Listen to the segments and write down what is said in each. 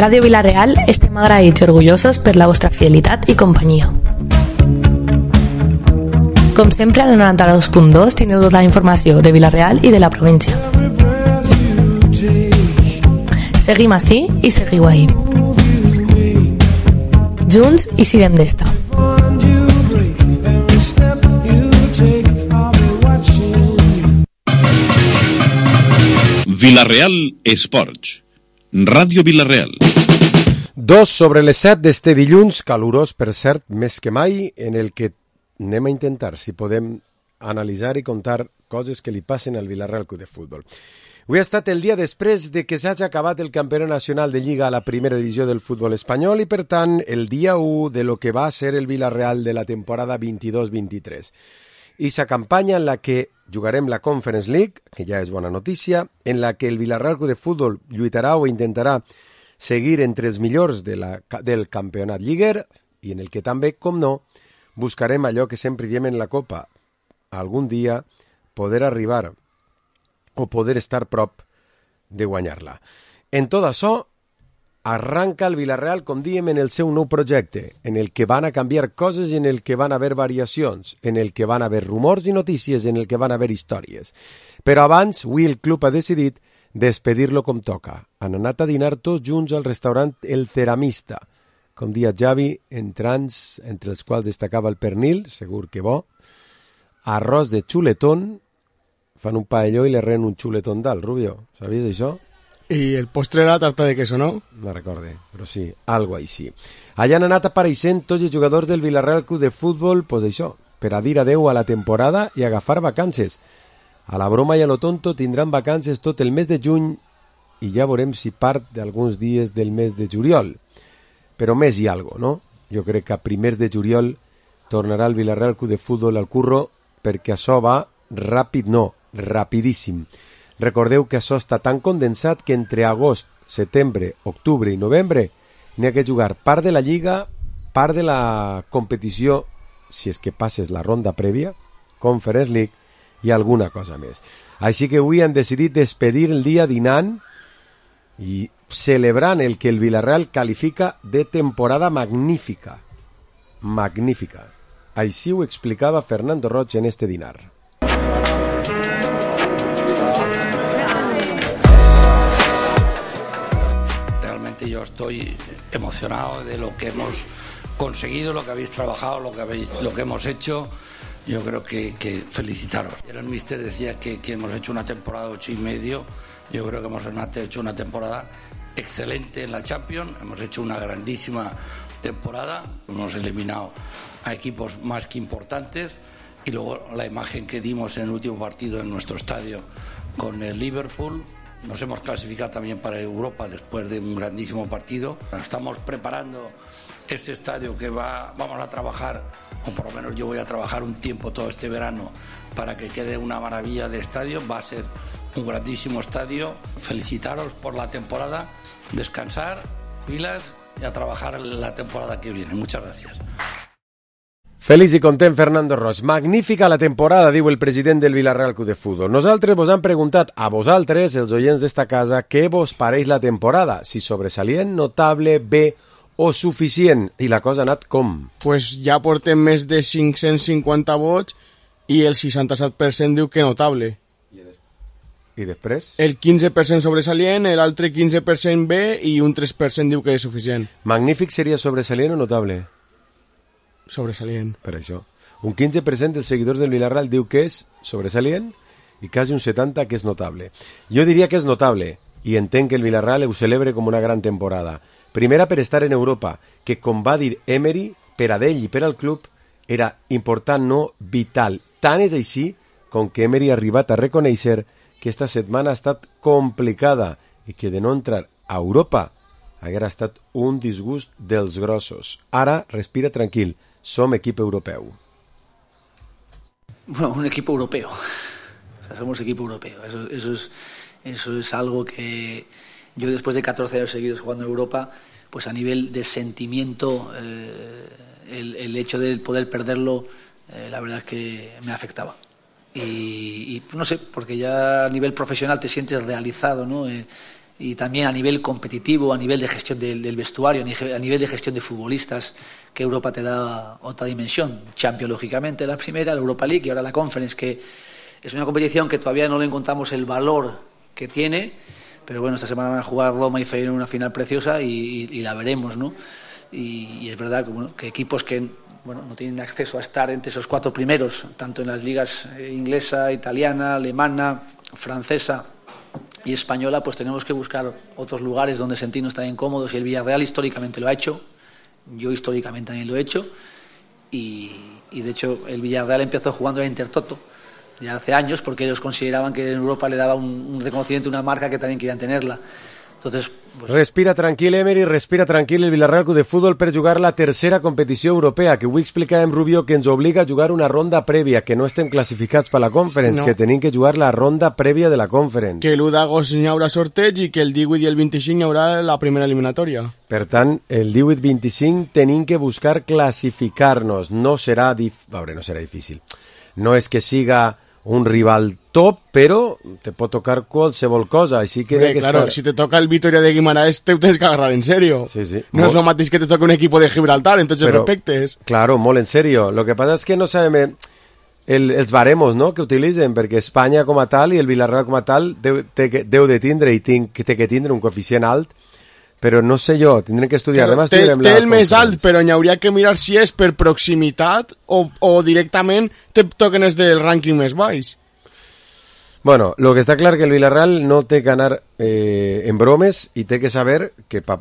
Ràdio Vila-real estem agraïts i orgullosos per la vostra fidelitat i companyia. Com sempre, al 92.2 tindreu tota la informació de Vila-real i de la província. Seguim ací i seguiu ahí. Junts i sirem d'esta. Vila-real Esports. Ràdio Vila-real. 2:07 d'este dilluns, calorós per cert, més que mai, en el que anem a intentar, si podem analitzar i contar coses que li passen al Vila-real Club de Futbol. Avui ha estat el dia després de que s'hagi acabat el campionat nacional de Lliga a la primera divisió del futbol espanyol i, per tant, el dia 1 de lo que va ser el Vila-real de la temporada 22-23. I sa campanya en la que jugarem la Conference League, que ja és bona notícia, en la que el Vila-real Club de Futbol lluitarà o intentarà seguir entre els millors del campionat lliguer i en el que també, com no, buscarem allò que sempre diem en la Copa, algun dia poder arribar o poder estar prop de guanyar-la. En tot això, arranca el Vila-real, com diem, en el seu nou projecte, en el que van a canviar coses i en el que van a haver variacions, en el que van a haver rumors i notícies, en el que van a haver històries. Però abans, avui el club ha decidit despedir-lo com toca. Han anat a dinar tots junts al restaurant El Ceramista, com dia Javi, entre els quals destacava el pernil, segur que bo, arròs de xuletón, fan un paelló i le reen un xuletón dalt, Rubio, sabies això? I el postre era tarta de queso, no? No recorde, però sí, algo així. Allà han anat apareixent tots els jugadors del Vila-real Club de Futbol, pues això, per a dir adeu a la temporada i agafar vacances. A la broma i a lo tonto tindran vacances tot el mes de juny i ja veurem si part d'alguns dies del mes de juliol. Però més i algo, no? Jo crec que a primers de juliol tornarà el Vila-real Club de Futbol al curro perquè això va ràpid, no, rapidíssim. Recordeu que això està tan condensat que entre agost, setembre, octubre i novembre n'hi ha que jugar part de la Lliga, part de la competició, si és que passes la ronda prèvia, Conference League, i alguna cosa més. Així que avui han decidit despedir el dia dinant i celebrant el que el Vila-real qualifica de temporada magnífica. Magnífica. Així ho explicava Fernando Roig en este dinar. Realmente yo estoy emocionado de lo que hemos conseguido, lo que habéis trabajado, lo que hemos hecho. Yo creo que felicitaros. El míster decía que hemos hecho una temporada 8 y medio. Yo creo que hemos hecho una temporada excelente en la Champions. Hemos hecho una grandísima temporada. Hemos eliminado a equipos más que importantes. Y luego la imagen que dimos en el último partido en nuestro estadio con el Liverpool. Nos hemos clasificado también para Europa después de un grandísimo partido. Estamos preparando este estadio que vamos a trabajar, o por lo menos yo voy a trabajar un tiempo todo este verano para que quede una maravilla de estadio. Va a ser un grandísimo estadio. Felicitaros por la temporada, descansar, pilas y a trabajar la temporada que viene. Muchas gracias. Feliç i content Fernando Roig. Magnífica la temporada, diu el president del Vila-real Club de Futbol. Nosaltres vos hem preguntat a vosaltres, els oients d'esta casa, què vos pareix la temporada? Si sobresalient, notable, bé o suficient? I la cosa ha anat com? Pues ja portem més de 550 vots i el 67% diu que notable. I després? El 15% sobresalient, l'altre 15% bé i un 3% diu que és suficient. Magnífic seria sobresalient o notable? Sobresalient. Per això. Un 15% dels seguidors del Vila-real diu que és sobresalient i quasi un 70% que és notable. Jo diria que és notable i entenc que el Vila-real ho celebre com una gran temporada. Primera per estar en Europa, que com va dir Emery, per a ell i per al club, era important, no vital. Tant és així com que Emery ha arribat a reconèixer que esta setmana ha estat complicada i que de no entrar a Europa haguera estat un disgust dels grossos. Ara, respira tranquil, som equip europeu. Bueno, un equipo europeo. O sea, somos equipo europeo. Eso es algo que yo, después de 14 años seguidos jugando en Europa, pues a nivel de sentimiento, el hecho de poder perderlo, la verdad es que me afectaba. Y no sé, porque ya a nivel profesional te sientes realizado, ¿no? y también a nivel competitivo, a nivel de gestión del vestuario, a nivel de gestión de futbolistas, que Europa te da otra dimensión. Champions, lógicamente, la primera, la Europa League y ahora la Conference, que es una competición que todavía no le encontramos el valor que tiene, pero bueno, esta semana van a jugar Roma y Feyenoord una final preciosa y la veremos, ¿no? Y es verdad que, bueno, que equipos que no tienen acceso a estar entre esos 4 primeros, tanto en las ligas inglesa, italiana, alemana, francesa y española, pues tenemos que buscar otros lugares donde sentirnos también cómodos, y el Villarreal históricamente lo ha hecho, yo históricamente también lo he hecho, y de hecho el Villarreal empezó jugando a Intertoto ya hace años, porque ellos consideraban que en Europa le daba un reconocimiento, una marca que también querían tenerla. Entonces, pues... Respira tranquil, Emery, respira tranquil el Villarreal Club de Futbol per jugar la tercera competició europea, que avui explicàvem, Rubio, que ens obliga a jugar una ronda prèvia, que no estem classificats per la Conference, no. Que tenim que jugar la ronda prèvia de la Conference. Que l'1 d'agost hi haurà sorteig i que el 18 i el 25 hi haurà la primera eliminatòria. Per tant, el 18-25 tenim que buscar classificar-nos. No serà difícil. No és que siga un rival top, però te pot tocar qualsevol cosa, així que... Claro, si te toca el Vitoria de Guimaraes te tienes que agarrar en serio. Sí. No es lo mateix que te toque un equipo de Gibraltar, entonces pero, respectes. Claro, molt en serio. Lo que pasa es que no sabem els baremos, no?, que utilitzen, perquè Espanya com a tal i el Villarreal com a tal deu de tindre i té que tindre un coeficient alt, però no sé jo, tindrem que estudiar. Té el més alt, però n'hi hauria que mirar si és per proximitat o directament te toquen els del rànquing més baix. Bueno, lo que està clar que el Villarreal no té que anar en bromes i té que saber que per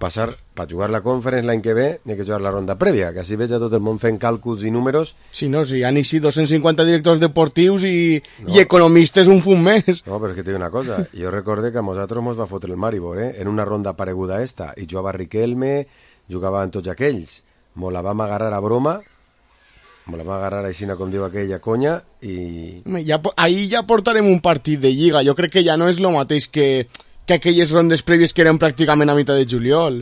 jugar la Conference l'any que ve n'hi ha que jugar la ronda prèvia, que així veig a tot el món fent càlculs i números. Sí, no, sí, han així 250 directors deportius i economistes un fum més. No, però és que t'he una cosa, jo recorde que a nosaltres mos va fotre el Maribor, en una ronda pareguda a esta, i jugava Riquelme, jugaven tots aquells, mos la vam agarrar a broma, me la va agarrar així, com diu aquella conya, i... Ahí ja portarem un partit de Lliga. Jo crec que ja no és el mateix que aquelles rondes prèvies que eren pràcticament a mitjà de juliol.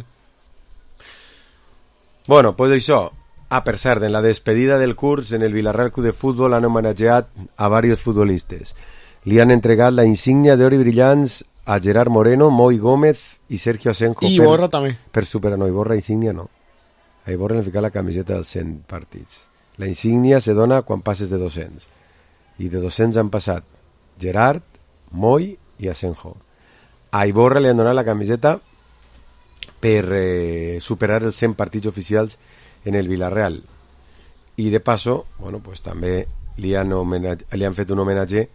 Bueno, pues això. Per cert, en la despedida del curs, en el Villarreal Club de Futbol han homenatjat a varios futbolistes. Li han entregat la insígnia d'or i brillants a Gerard Moreno, Moi Gómez i Sergio Asenjo. I Iborra també. Per superar, no, Iborra insígnia no. A Iborra li fica la camiseta dels 100 partits. La insígnia se dona quan passes de 200. I de 200 han passat Gerard, Moi i Asenjo. A Iborra li han donat la camiseta per superar els 100 partits oficials en el Villarreal. I de passo, bueno, pues també li han fet un homenatge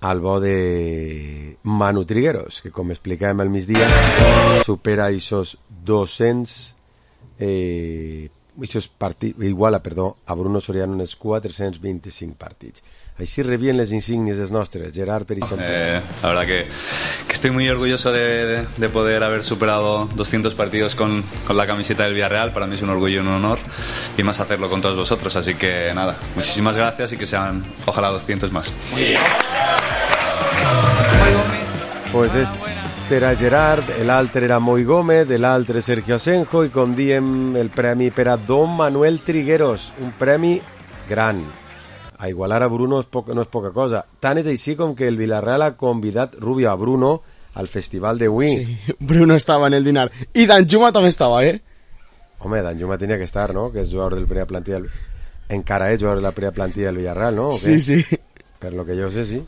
al bo de Manu Trigueros, que com explicàvem al migdia supera aquests 200 iguala a Bruno Soriano en els 425 partits. Així rebien les insígnies dels nostres, Gerard, per exemple. La verdad que estoy muy orgulloso de poder haber superado 200 partidos con la camiseta del Villarreal. Para mí es un orgullo y un honor, y más hacerlo con todos vosotros, así que nada, muchísimas gracias y que sean ojalá 200 más. Muy bien. Pues era Gerard, l'altre era Moi Gómez, l'altre Sergio Asenjo, i com diem, el premi per a Don Manuel Trigueros, un premi gran. A igualar a Bruno no és poca cosa. Tant és així com que el Villarreal ha convidat Rubio a Bruno al festival de Wii. Sí, Bruno estava en el dinar. I Danjuma també estava, Home, Danjuma tenia que estar, no? Que és jugador del primera plantilla. Encara és jugador de la primera plantilla del Villarreal, ¿no? Sí, sí. Per lo que jo sé, sí.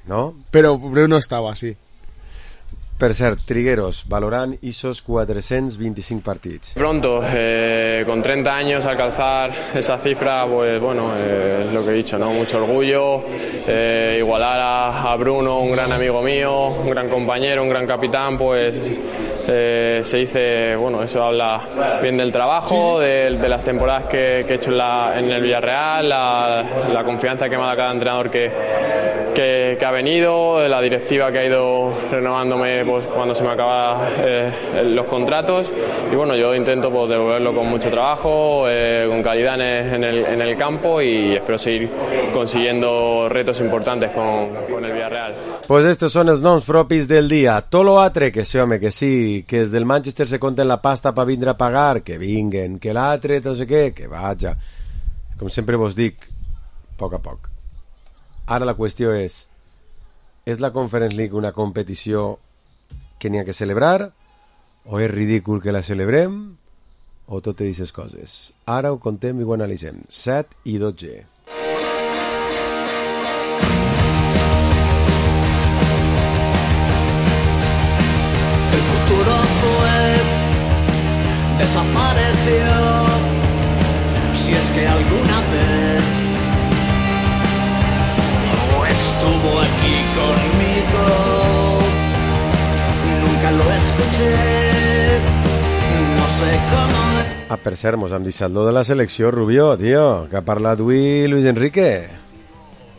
¿No? Però Bruno estava, sí. Per cert, Trigueros, valorant esos 425 partidos. Pronto, con 30 años alcanzar esa cifra, pues bueno, es lo que he dicho, ¿no? Mucho orgullo, igualar a Bruno, un gran amigo mío, un gran compañero, un gran capitán, pues se dice, bueno, eso habla bien del trabajo, de las temporadas que he hecho en el Villarreal, la confianza que me ha dado cada entrenador que ha venido, de la directiva que ha ido renovándome pues cuando se me acaban los contratos, y bueno, yo intento pues devolverlo con mucho trabajo, con calidad en el campo, y espero seguir consiguiendo retos importantes con el Villarreal. Pues estos son els noms propis del dia. Tolo Atre, que sí, home, que sí, que des del Manchester se compten la pasta per vindre a pagar, que vinguen, que l'altre, no sé què, que vaja. Com sempre vos dic, a poc. Ara la qüestió és la Conference League una competició què n'hi ha que celebrar, o és ridícul que la celebrem, o totes aquestes coses. Ara ho contem i ho analitzem. 7 i 12. El futuro fue, desapareció, si es que alguna vez no estuvo aquí conmigo, nunca lo escuché, no sé cómo. Ah, per cert, mos hem deixat lo de la selecció, Rubió, tio, que ha parlat avui Luis Enrique.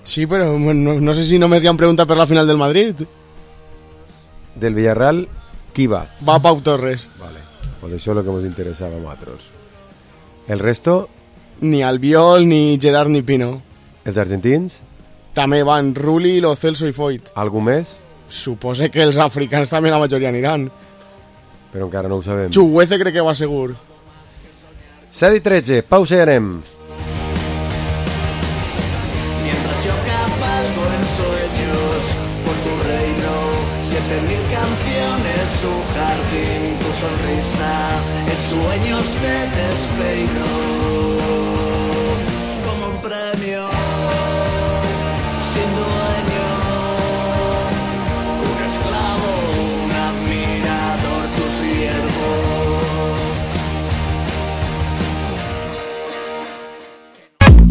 Sí, però no sé si només li han preguntat per la final del Madrid. Del Villarreal, qui va? Va Pau Torres. Vale, pues això és el que ens interessava a nosaltres. El resto? Ni Albiol, ni Gerard, ni Pino. Els argentins? També van Rulli, Lo Celso i Foyt. Algú més? Supose que els africans també la majoria aniran. Però encara no ho sabem. Chuguece crec que va segur. 7 i 13, pausa i anem. Mientras yo cabalgo en sueños por tu reino, 7000 canciones, su jardín, tu sonrisa, en sueños te despeino como un premio sin dueño, un esclavo, un admirador, tu siervo.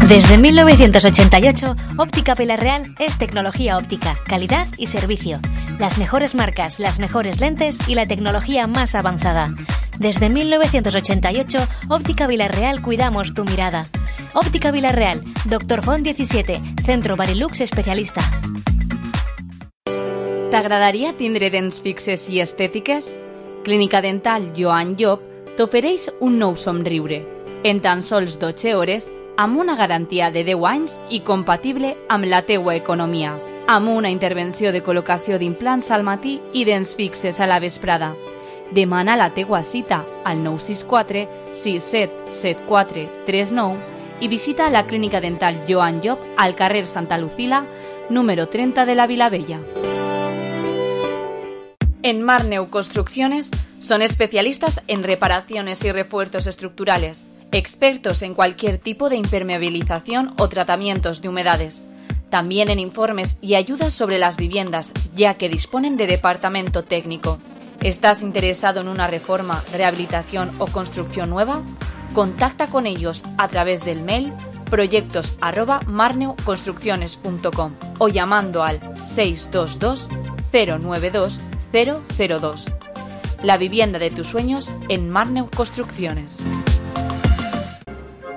Desde 1988, Óptica Villarreal es tecnología óptica, calidad y servicio. Las mejores marcas, las mejores lentes y la tecnología más avanzada. Desde 1988, Óptica Villarreal cuidamos tu mirada. Óptica Villarreal, Dr. Font 17, Centro Barilux especialista. T'agradaria tindre dents fixes i estètiques? Clínica Dental Joan Llop t'ofereix un nou somriure. En tan sols 12 hores, amb una garantia de 10 anys i compatible amb la teua economia. Amb una intervenció de col·locació d'implants al matí i dents fixes a la vesprada. Demana la teua cita al 964 6774 39 i visita la Clínica Dental Joan Llop al carrer Santa Lucila, número 30 de la Vilavella. En Marneu Construcciones son especialistas en reparaciones y refuerzos estructurales, expertos en cualquier tipo de impermeabilización o tratamientos de humedades. También en informes y ayudas sobre las viviendas, ya que disponen de departamento técnico. ¿Estás interesado en una reforma, rehabilitación o construcción nueva? Contacta con ellos a través del mail proyectos@marneuconstrucciones.com o llamando al 622 092 002. La vivienda de tus sueños en Marneu Construcciones.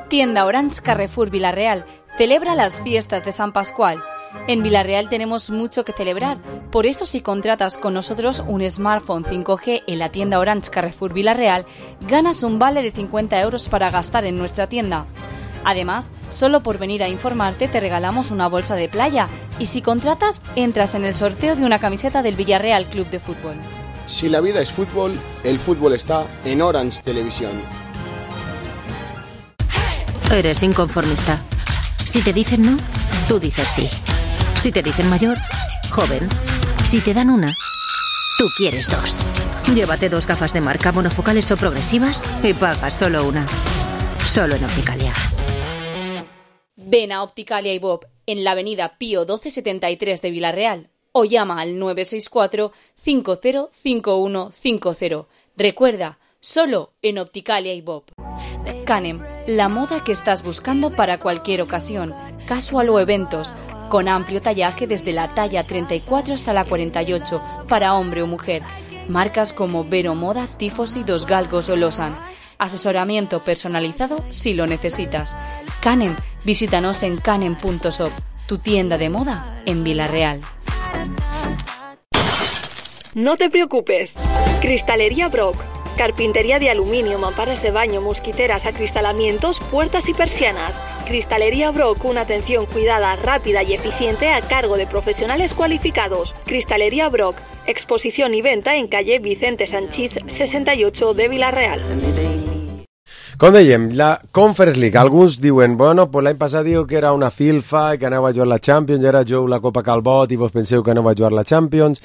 Tienda Orange Carrefour Villarreal celebra las fiestas de San Pascual. En Villarreal tenemos mucho que celebrar, por eso si contratas con nosotros un smartphone 5G en la tienda Orange Carrefour Villarreal, ganas un vale de 50 euros para gastar en nuestra tienda. Además, solo por venir a informarte te regalamos una bolsa de playa y si contratas, entras en el sorteo de una camiseta del Villarreal Club de Fútbol. Si la vida es fútbol, el fútbol está en Orange Televisión. Eres inconformista. Si te dicen no, tú dices sí. Si te dicen mayor, joven. Si te dan una, tú quieres dos. Llévate 2 gafas de marca monofocales o progresivas y pagas solo una. Solo en Opticalia. Ven a Opticalia y Bob en la avenida Pío 1273 de Villarreal o llama al 964 505150. Recuerda, solo en Opticalia y Bob. Canem, la moda que estás buscando para cualquier ocasión, casual o eventos, con amplio tallaje desde la talla 34 hasta la 48, para hombre o mujer. Marcas como Vero Moda, Tifosi, Dos Galgos o Losan. Asesoramiento personalizado si lo necesitas. Canem, visítanos en canem.shop, tu tienda de moda en Villarreal. No te preocupes. Cristalería Brock. Carpintería de aluminio, mamparas de baño, mosquiteras, acristalamientos, puertas y persianas. Cristalería Brock, una atención cuidada, rápida y eficiente a cargo de profesionales cualificados. Cristalería Brock, exposición y venta en calle Vicente Sanchís 68 de Villarreal. Com dèiem, la Conference League, alguns diuen, bueno, pues l'any passat diu que era una filfa i que anava a jugar la Champions, i ara jugo la Copa Calbot i vos penseu que anava a jugar la Champions.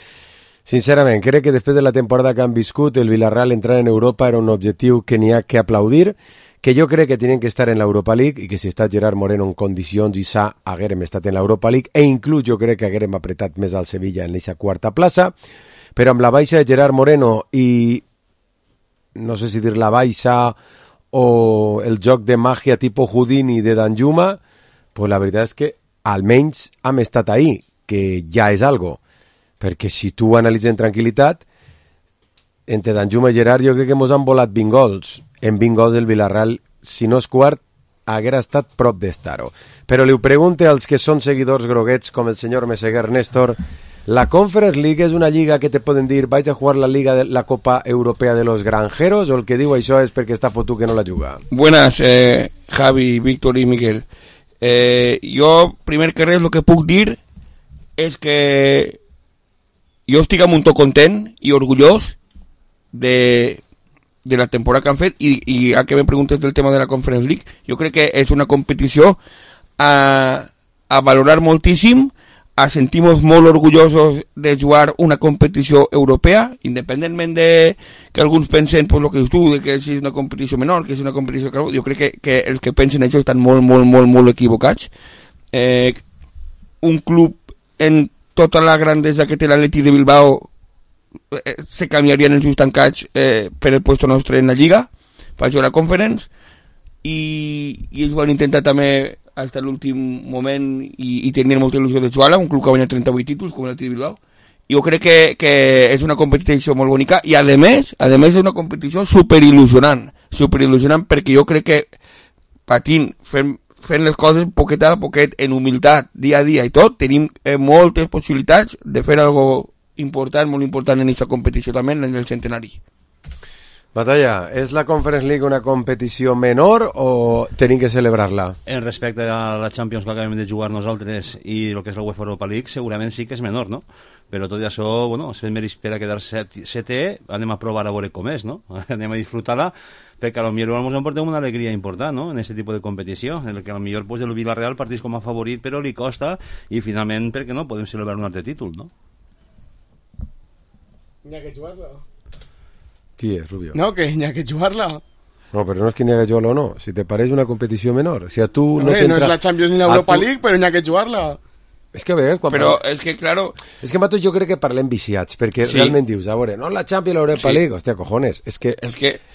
Sincerament, crec que després de la temporada que han viscut, el Villarreal entrar en Europa era un objectiu que n'hi ha que aplaudir, que jo crec que tenen que estar en l'Europa League i que si està Gerard Moreno en condicions i sa, haguérem estat en l'Europa League e inclús jo crec que haguérem apretat més al Sevilla en aquesta quarta plaça, però amb la baixa de Gerard Moreno i no sé si dir la baixa o el joc de màgia tipus Houdini de Danjuma, pues la veritat és que almenys hem estat ahí, que ja és algo, perquè si tu analitzes en tranquil·litat, entre Danjuma i Gerard jo crec que mos han volat 20 gols. En 20 gols del Villarreal, si no és quart, haguera estat prop d'estar-ho. Però li ho pregunte als que són seguidors groguets, com el senyor Meseguer Néstor, la Conference League és una lliga que te poden dir vaig a jugar la Copa Europea de los Granjeros, o el que diu això és perquè està fotut que no la juga? Buenas, Javi, Víctor i Miguel. Jo, primer que res, el que puc dir és que jo estic un to content i orgullós de la temporada que han fet i a que me preguntes del tema de la Conference League, jo crec que és una competició a valorar moltíssim, a sentir-nos molt orgullosos de jugar una competició europea, independentment de que alguns pensen, pues, lo que dius tu, de que és una competició menor, que és una competició... Jo crec que els que pensen això estan molt equivocats. Un club en tota la grandesa que té l'Atleti de Bilbao se canviarien els seus tancats per el puesto nostre en la Lliga, per això la Conference, i ells van intentar també fins a l'últim moment i tenien molta il·lusió de jugar-la, un club que ha guanyat 38 títols com l'Atleti de Bilbao. Jo crec que és una competició molt bonica i a més és una competició superil·lusionant perquè jo crec que patint, fent les coses poquet a poquet, en humilitat, dia a dia i tot, tenim moltes possibilitats de fer algo important, molt important en aquesta competició també, en el centenari. Batalla, és la Conference League una competició menor o tenim que celebrar-la? En respecte a la Champions que acabem de jugar nosaltres i el que és la UEFA Europa League, segurament sí que és menor, no? Però tot i això, bueno, es fent mèrits per a quedar setè, anem a provar a veure com és, no? Anem a disfrutar-la, perquè a lo millor ens emportem una alegria important, no?, en aquest tipus de competició, en el que a lo millor pues, el Villarreal partís com a favorit, però li costa, i finalment, perquè no, podem celebrar un altre títol, no? N'hi ha que jugar-la. Tía, Rubio. No, que n'hi ha que jugar-la. No, però no és que n'hi ha que jugar-la o no. Si te pareix una competició menor. Si a tu no és la Champions ni l'Europa League, però n'hi ha que jugar-la. És que a vegades... Però és que, claro... És que, Mato, jo crec que parlem viciats, perquè realment dius, a veure, no la Champions i l'Europa League, hòstia, cojones, és que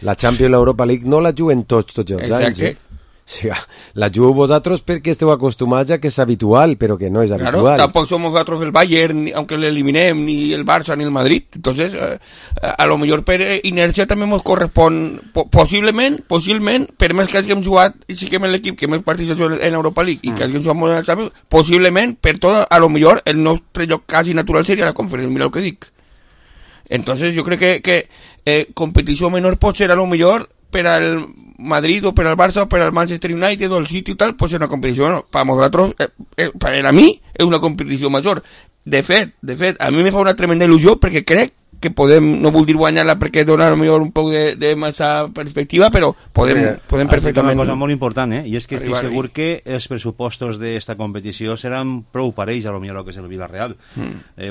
la Champions i l'Europa League no la juguen tots els anys, O sea, la jugueu vosaltres perquè esteu acostumats a que és habitual, però que no és habitual. Claro, tampoco somos nosotros el Bayern, aunque le eliminem, ni el Barça, ni el Madrid. Entonces, a lo mejor per inercia també ens correspon, possiblement, per més que hàgim jugat i siguem l'equip que més partits en l'Europa League i que hàgim jugat molt en el Champions, possiblement, per tot, a lo mejor, el nostre lloc quasi natural seria la Conferència, mira el que dic. Entonces, jo crec que competició menor pot ser a lo mejor per al Madrid o per al Barça o per al Manchester United o el City i tal, pot ser una competició, no, per nosaltres, per a mi, és una competició major. De fet, a mi me fa una tremenda il·lusió perquè crec que podem, no vull dir guanyar-la perquè dona potser un poc de massa perspectiva, però podem perfectament... Una cosa molt important, i és que estic segur que els pressupostos d'esta competició seran prou parells a lo millor que és el Villarreal.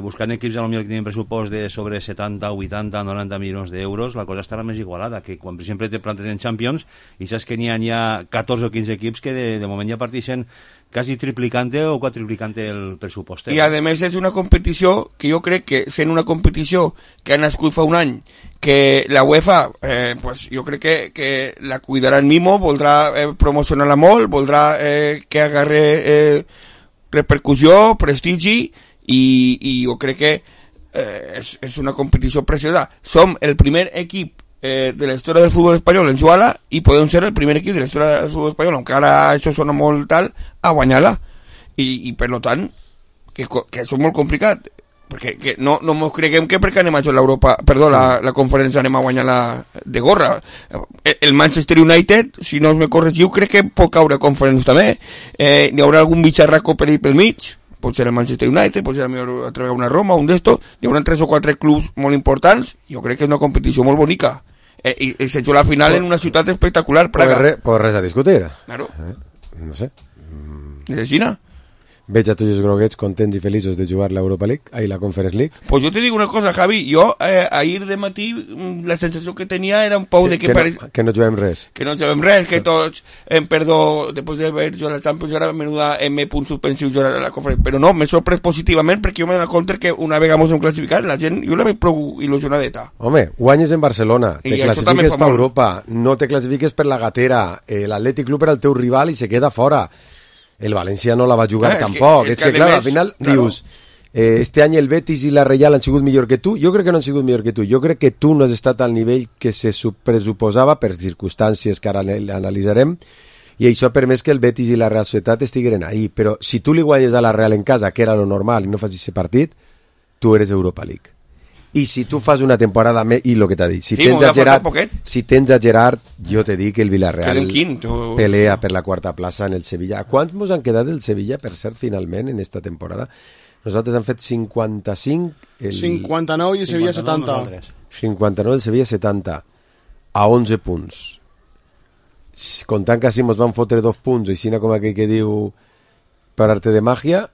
Buscant equips a lo millor que tenen pressupost de sobre 70, 80, 90 milions d'euros, la cosa estarà més igualada, que quan per exemple te plantes en Champions i saps que n'hi ha 14 o 15 equips que de moment ja partixen quasi triplicante o quadriplicante el pressupost. I a més és una competició que jo crec que sent una competició que ha nascut fa un any, que la UEFA pues jo crec que la cuidarà en mimo, voldrà promocionar-la molt, voldrà que agarre repercussió, prestigi i jo crec que és una competició preciosa. Som el primer equip de la història del futbol espanyol en jugar-la i podem ser el primer equip de la història del futbol espanyol, encara ara això sona molt tal, a guanyar-la i per tant que això és molt complicat perquè no ens creguem que perquè anem a jugar l'Europa, perdó, la conferència anem a guanyar-la de gorra. El Manchester United, si no me corregiu, crec que pot caure a conferència també. N'hi haurà algun bitxarraco per ahí pel mig, pot ser el Manchester United, pot ser a través una Roma, un d'estos, hi haurà 3 o 4 clubs molt importants, jo crec que és una competició molt bonica. I se juga la final en una ciutat espectacular, Praga. Pues res a discutir. Claro. No sé. ¿Es de China? veig a tots els groguets contents i feliços de jugar l'Europa League, ahí la Conference League. Pues yo te digo una cosa, Javi, yo ayer de matí la sensació que tenia era un pou de que que no juguem res. Que no juguem res, que tots em perdó, després d'haver jugat la Champions, ara menuda M punts suspensius jugar a la Conference, però no, m'he sorprès positivament perquè jo m'he donat compte que una vegada ens hem classificat, la gent, jo la veig prou il·lusionadeta. Home, guanyes en Barcelona, te classifiques per Europa, no te classifiques per la gatera, l'Atlètic Club era el teu rival i se queda fora. El València no la va jugar tampoc. És que clar, al final dius, este any el Betis i la Reial han sigut millor que tu. Jo crec que no han sigut millor que tu. Jo crec que tu no has estat al nivell que se pressuposava per circumstàncies que ara analitzarem, i això ha permès que el Betis i la Real Societat estigueren ahí. Però si tu li guanyes a la Real en casa, que era lo normal, i no fas aquest partit, tu eres Europa League. I si tu fas una temporada més, i el que t'ha dit, si tens a Gerard, jo te dic que el Villarreal pelea per la quarta plaça en el Sevilla. Quants mos han quedat del Sevilla, per cert, finalment, en esta temporada? Nosaltres han fet 55... 59 i el Sevilla 70. 59 el Sevilla 70, a 11 punts. Comptant que així mos van fotre 2 punts, i així com aquell que diu per arte de màgia,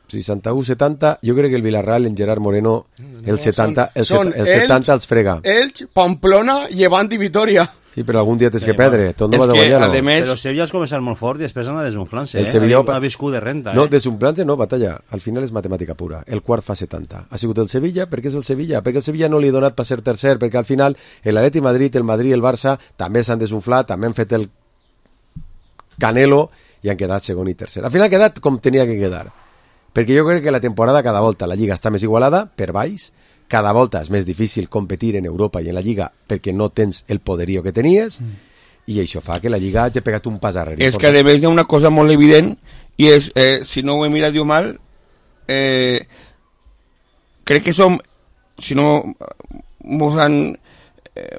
61-70, jo crec que el Villarreal en Gerard Moreno el 70 els frega. Elx, Pamplona, Llevant i Vitoria. Sí, però algun dia tens que perdre, tot no va de guanyar, no? Però Sevilla has començat molt fort i després anar desunflant-se, ha viscut de renta. No, desunflant-se no, batalla, al final és matemàtica pura, el quart fa 70. Ha sigut el Sevilla, perquè és el Sevilla, perquè el Sevilla no li ha donat per ser tercer, perquè al final l'Atleti Madrid, el Madrid i el Barça també s'han desunflat, també han fet el Canelo i han quedat segon i tercer. Al final ha quedat com tenia que quedar. Perquè jo crec que la temporada cada volta la Lliga està més igualada, per baix, cada volta és més difícil competir en Europa i en la Lliga perquè no tens el poderío que tenies, i això fa que la Lliga hagi pegat un pas arrere. És que a més hi ha una cosa molt evident, i és, si no ho he mirat jo mal, crec que som, si no mos han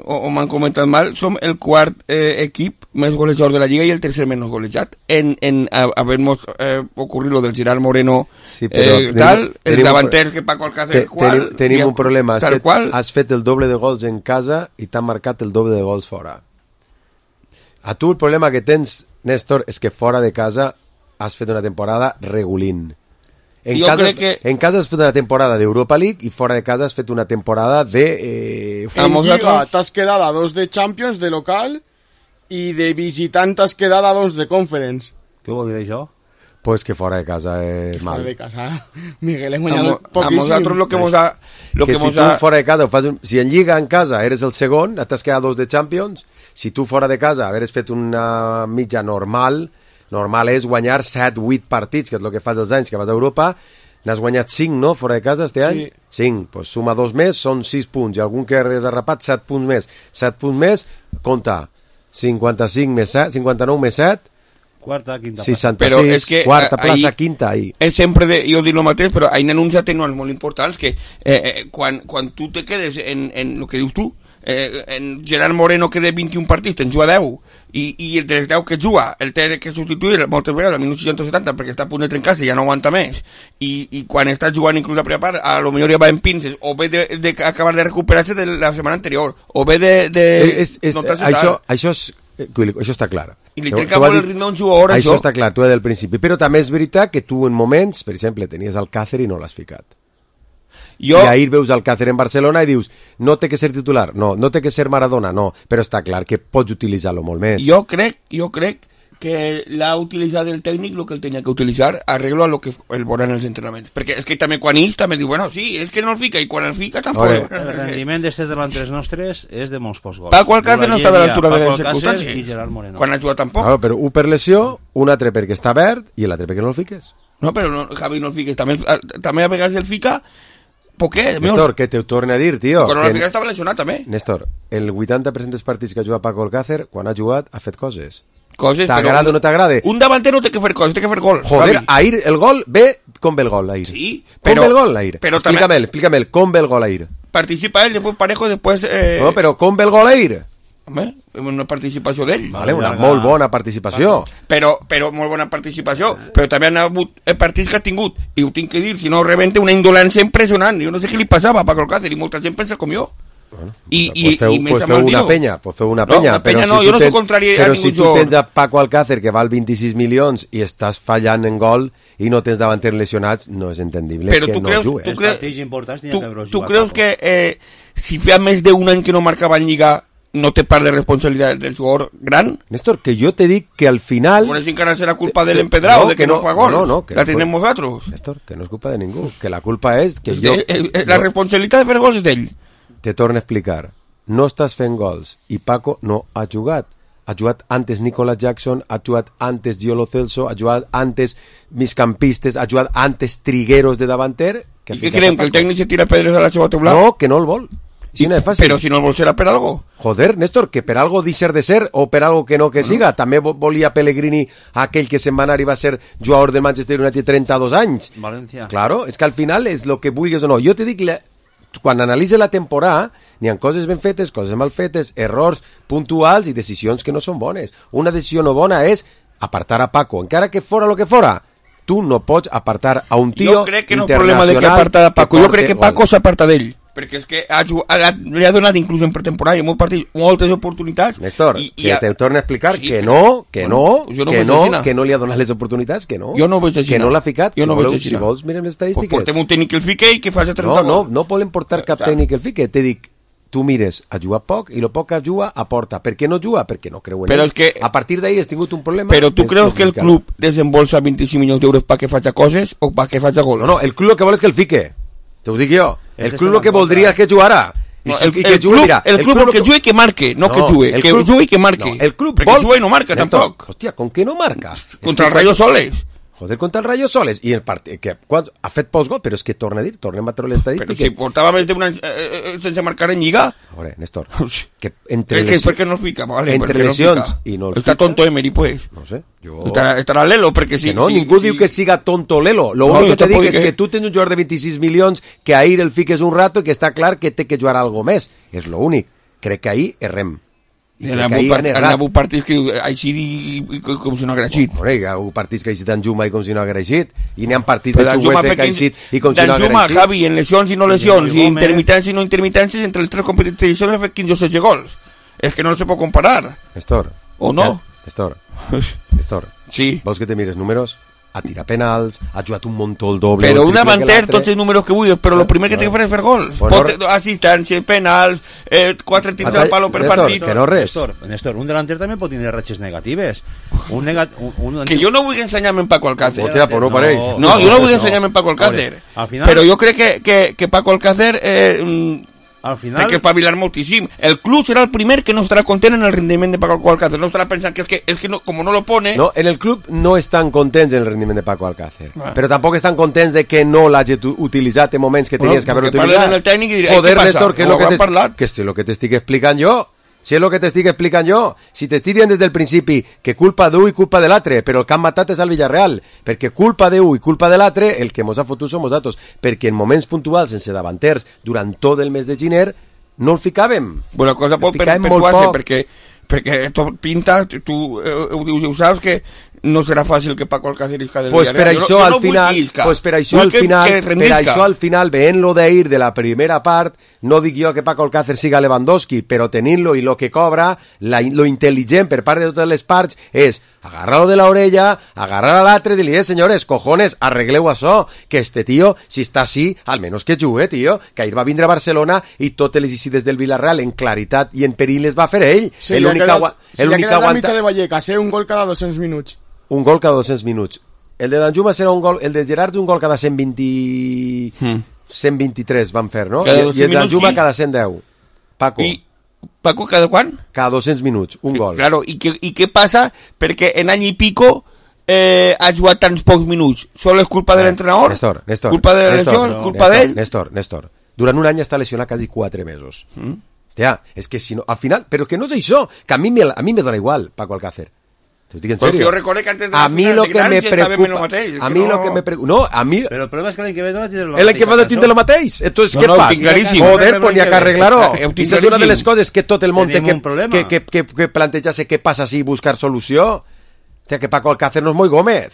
o m'han comentat mal, som el quart equip més golejador de la Lliga i el tercer menys golejat en haver-nos ocurrit lo del Gerard Moreno, sí, tal, el davanter que Paco Alcácer tenim un problema, has fet el doble de gols en casa i t'han marcat el doble de gols fora. A tu el problema que tens, Néstor, és que fora de casa has fet una temporada regulín. En casa has fet una temporada d'Europa League i fora de casa has fet una temporada de... En Lliga t'has quedat a 2 de Champions de local i de visitant t'has quedat a 2 de Conference. Què vol dir això? Pues que fora de casa és mal. Fora de casa, Miguel, hem guanyat poquíssim. A nosaltres lo que mos ha... Que si tu fora de casa, si en Lliga en casa eres el segon, t'has quedat 2 de Champions, si tu fora de casa hagueres fet una mitja normal és guanyar 7-8 partits, que és el que fas dels anys que vas a Europa. N'has guanyat 5, no?, fora de casa este any? 5, doncs suma 2 més, són 6 punts, i algun que has arrapat 7 punts més. 7 punts més, compta, 55 més 7, 59 més 7, quarta, quinta 66, però és que, quarta plaça, quinta, ahí. És sempre, jo dic el mateix, però ahí n'han uns atenuants molt importants, que quan tu te quedes en el que dius tu, en Gerard Moreno que de 21 partits te'n juga 10 i el dels 10 que juga el té que substituir moltes vegades al minut 60-70 perquè està a punt de trencar-se i ja no aguanta més i quan estàs jugant inclús la primera part a lo millor ja va en pinces o ve d'acabar de recuperar-se de la setmana anterior o ve això està clar i li trenca molt el ritme a un jugador això està clar, tu des del principi, però també és veritat que tu en moments, per exemple, tenies Alcácer i no l'has ficat. I ahir veus Alcácer en Barcelona i dius, no té que ser titular, no té que ser Maradona, no, però està clar que pots utilitzar-lo molt més. Jo crec que l'ha utilitzat el tècnic el que el tenia que utilitzar arreglo a lo que el veurà en els entrenaments, perquè és que també quan ells també diu, bueno, sí, és que no el fica i quan el fica tampoc. El rendiment d'estes delanteres nostres és de molts pocs gols. Paco Alcácer no està de l'altura de les circumstàncies i Gerard Moreno quan ha jugat tampoc. Claro, però un per lesió, un altre perquè està verd i l'altre perquè no el fiques. No, però no, Javi, no el fiques, també a vegades el fica. ¿Por qué? Néstor, que te ho torne a dir, tio. Però l'Àfrica estava lesionat, també. Néstor, el 80% dels partits que ha jugat Paco Alcácer, quan ha jugat, ha fet coses. T'agrada o no t'agrada? Un davanter no té que fer coses, té que fer gols. Joder, ahir el gol ve com ve el gol, ahir. Sí, però... Com ve el gol, ahir? Explícame, com ve el gol, ahir? Participa él, después Parejo, después... No, però com ve el gol, ahir? Home, una participació d'ell. Vale, una molt bona participació. Però molt bona participació. Però també han hagut partits que ha tingut, i ho tinc que dir, si no rebenta una indolència impressionant. Jo no sé què li passava a Paco Alcácer, i molta gent pensa com jo. i pues feu una penya, no, jo no soc contrari a però ningú si tu tens a Paco Alcácer que val 26 milions i estàs fallant en gol i no tens davanters lesionats, no és entendible però que no jugues. Tu creus que si fa més d'un any que no marcava en Lliga no té part de responsabilitat del jugador gran? Néstor, que jo te dic que al final... Bueno, si encara serà culpa de l'empedrado, de que no fa gol. No, que la tenim nosaltres. Néstor, que no és culpa de ningú, que la culpa és que la responsabilitat de fer gols és d'ell. Te torno a explicar. No estàs fent gols i Paco no ha jugat. Ha jugat antes Nicolas Jackson, ha jugat antes Giolo Celso, ha jugat antes migcampistes, ha jugat antes trigueros de davanter. I què creiem, que el tècnic se tira pedres a la seva teulada? No, que no el vol. Sí, no és fàcil. Però si no el vol serà per algo. Joder, Néstor, que per algo deixar de ser o per algo que no que siga. També volia Pellegrini aquell que se'n va anar i va ser jugador del Manchester United 32 anys. València. Claro, és que al final és lo que vulguis o no. Jo te dic, quan analitza la temporada, n'hi ha coses ben fetes, coses mal fetes, errors puntuals i decisions que no són bones. Una decisió no bona és apartar a Paco, encara que fora lo que fora. Tu no pots apartar a un tio internacional. Jo crec que no és problema de que aparta a Paco, jo crec que Paco s'aparta d'ell. Perquè és que li ha donat inclús en pretemporada i en molts partits moltes oportunitats. Néstor, que te torno a explicar que no li ha donat les oportunitats, que no. Jo no ho veig així. Que no l'ha ficat. Jo no ho veig així. Si vols, mirem les estadístiques. Pues portem un tècnic que el fique i que faci 30 gols. No volem portar cap tècnic que el fique. Te dic, tu mires, ha jugat poc i el poc que juga aporta. Per què no juga? Perquè no creu en ell. A partir d'ahir has tingut un problema. Però tu creus que el club desembolsa 25 milions d'euros perquè faci coses o perquè faci gols? No, el club el que vol és que el fique. Te ho dic jo. El club el que voldria és que jugara. El club el que jugui que marque, no que jugui. Que jugui i que marque. El club perquè jugui no marca tampoc. Hòstia, com que no marca? Contra el Rayo Soles. Joder, contra el Rayo Soles. I el partit que ha fet pocs gols, però és que torna a dir, tornem a treure les estadístiques. Però si portava més d'un any sense marcar en Lliga. A veure, Néstor, que per què no fica? Vale, entre lesions i no el fica. Està tonto Emery, pues. No sé. Estarà Lelo, perquè si... No, ningú diu que siga tonto Lelo. Lo únic que te dic és que tu tens un jugador de 26 milions que ahir el fiques un rato i que està clar que té que jugar algo més. És lo únic. Crec que ahir errem. Hi ha hagut partits que així com si no hagués eixit. Hi ha hagut partits que ha eixit Danjuma i com si no hagués eixit, i n'hi ha partits de Xuguete que ha eixit i com si no hagués eixit. Danjuma, Javi, en lesions i no lesions, i intermitències i no intermitències, entre les tres competicions ha fet 15 o 16 gols. És que no se pot comparar. Néstor. O no? Néstor. Sí. Vols que te mires números? A tirar penals, ha jugat un muntó el doble. Però un davanter, tots els números que vulguis, però el primer que té que fer és fer gols. Assistències, penals, 4 tirs al palo per partit. Que no res. Néstor, un delanter també pot tenir ratxes negatives. Que jo no vull ensenyar-me en Paco Alcácer. No, jo no vull ensenyar-me en Paco Alcácer. Però jo crec que Paco Alcácer... Al final... Hay que espavilar moltíssim. El club serà el primer que no estarà content en el rendiment de Paco Alcácer. No estarà pensant que és que no, com no lo pone... No, en el club no estan contents en el rendiment de Paco Alcácer. Però tampoc estan contents de que no l'hagi utilitzat en moments que tenies que haver utilitzat. Joder, Néstor, que és el que t'estic explicant jo. Si és el que t'estic explicant jo, si t'estic dient des del principi que culpa d'un i culpa de l'altre, però el que han matat és el Villarreal, perquè culpa d'un i culpa de l'altre, el que mos ha fotut som nosaltres, perquè en moments puntuals, sense davanters, durant tot el mes de gener, no el ficàvem. Bueno, la cosa pot perpetuar-se, perquè tot pinta, tu ho saps que no serà fàcil que Paco Alcácer isca del Villarreal. Per això al final, veient-lo d'ahir de la primera part, no dic jo que Paco Alcácer siga Lewandowski, però tenint-lo i lo que cobra, lo intel·ligent per part de totes les parts és agarrar-lo de la orella, agarrar a l'altre i dir-li, senyores, cojones, arregleu això, que este tío, si està així, almenys que jugue, tío, que ahir va vindre a Barcelona i totes les eixides del Villarreal en claritat i en perill les va fer ell. Sí, li ha quedat la mitja de Vallecas, un gol cada 200 minuts. Un gol cada 200 minuts. El de Danjuma serà un gol, el de Gerard un gol cada 123 van fer, no? I el de Danjuma cada 110. Paco. I Paco cada quan? Cada 200 minuts, un gol. Claro, i què passa? Perquè en any i pico ha jugat tants pocs minuts. Sol és culpa de l'entrenador? Néstor. Culpa de la lesió? Culpa d'ell? Néstor. Durant un any està lesionat quasi 4 mesos. Hòstia, és que si no... Al final... Però que no és això, que a mi me dona igual, Paco Alcácer. T'ho dic en serio. Jo recordo que antes de la final de Gran estava menys mateix. A mi lo que me preocupa... No, a mi... Però el problema és que l'any que ve no tindre lo mateix. L'any que ve no tindre lo mateix. Entonces, què fas? Joder, pues n'hi ha que arreglar-ho. Aquesta és una de les coses que tot el món té que plantejar-se què passa si buscar solució. O sea, que Paco Alcácer no és Moi Gómez.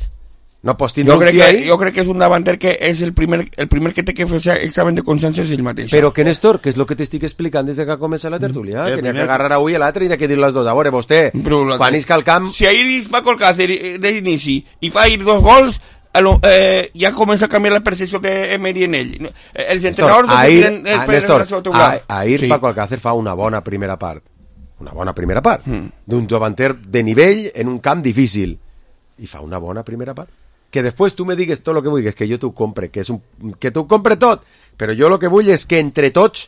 No pots tindre un tio ahí. Jo crec que és un davanter que és el primer que té que fer examen de consciència és ell mateix. Però que, Néstor, que és el que t'estic explicant des que comença la tertúlia, que n'hi ha que agarrar avui a l'altre i n'hi ha que dir les dues. A veure, vostè, quan isca al camp... Si ahir és Paco Alcácer d'inici i fa ahir 2 gols, ja comença a canviar la percepció d'Emery en ell. Els entrenadors no tenen Néstor, ahir Paco Alcácer fa una bona primera part. Una bona primera part. D'un davanter de nivell en un camp difícil. I fa una bona primera part. Que després tu me digues tot el que vulguis, que jo t'ho compre, que t'ho compre tot, però jo el que vull és que entre tots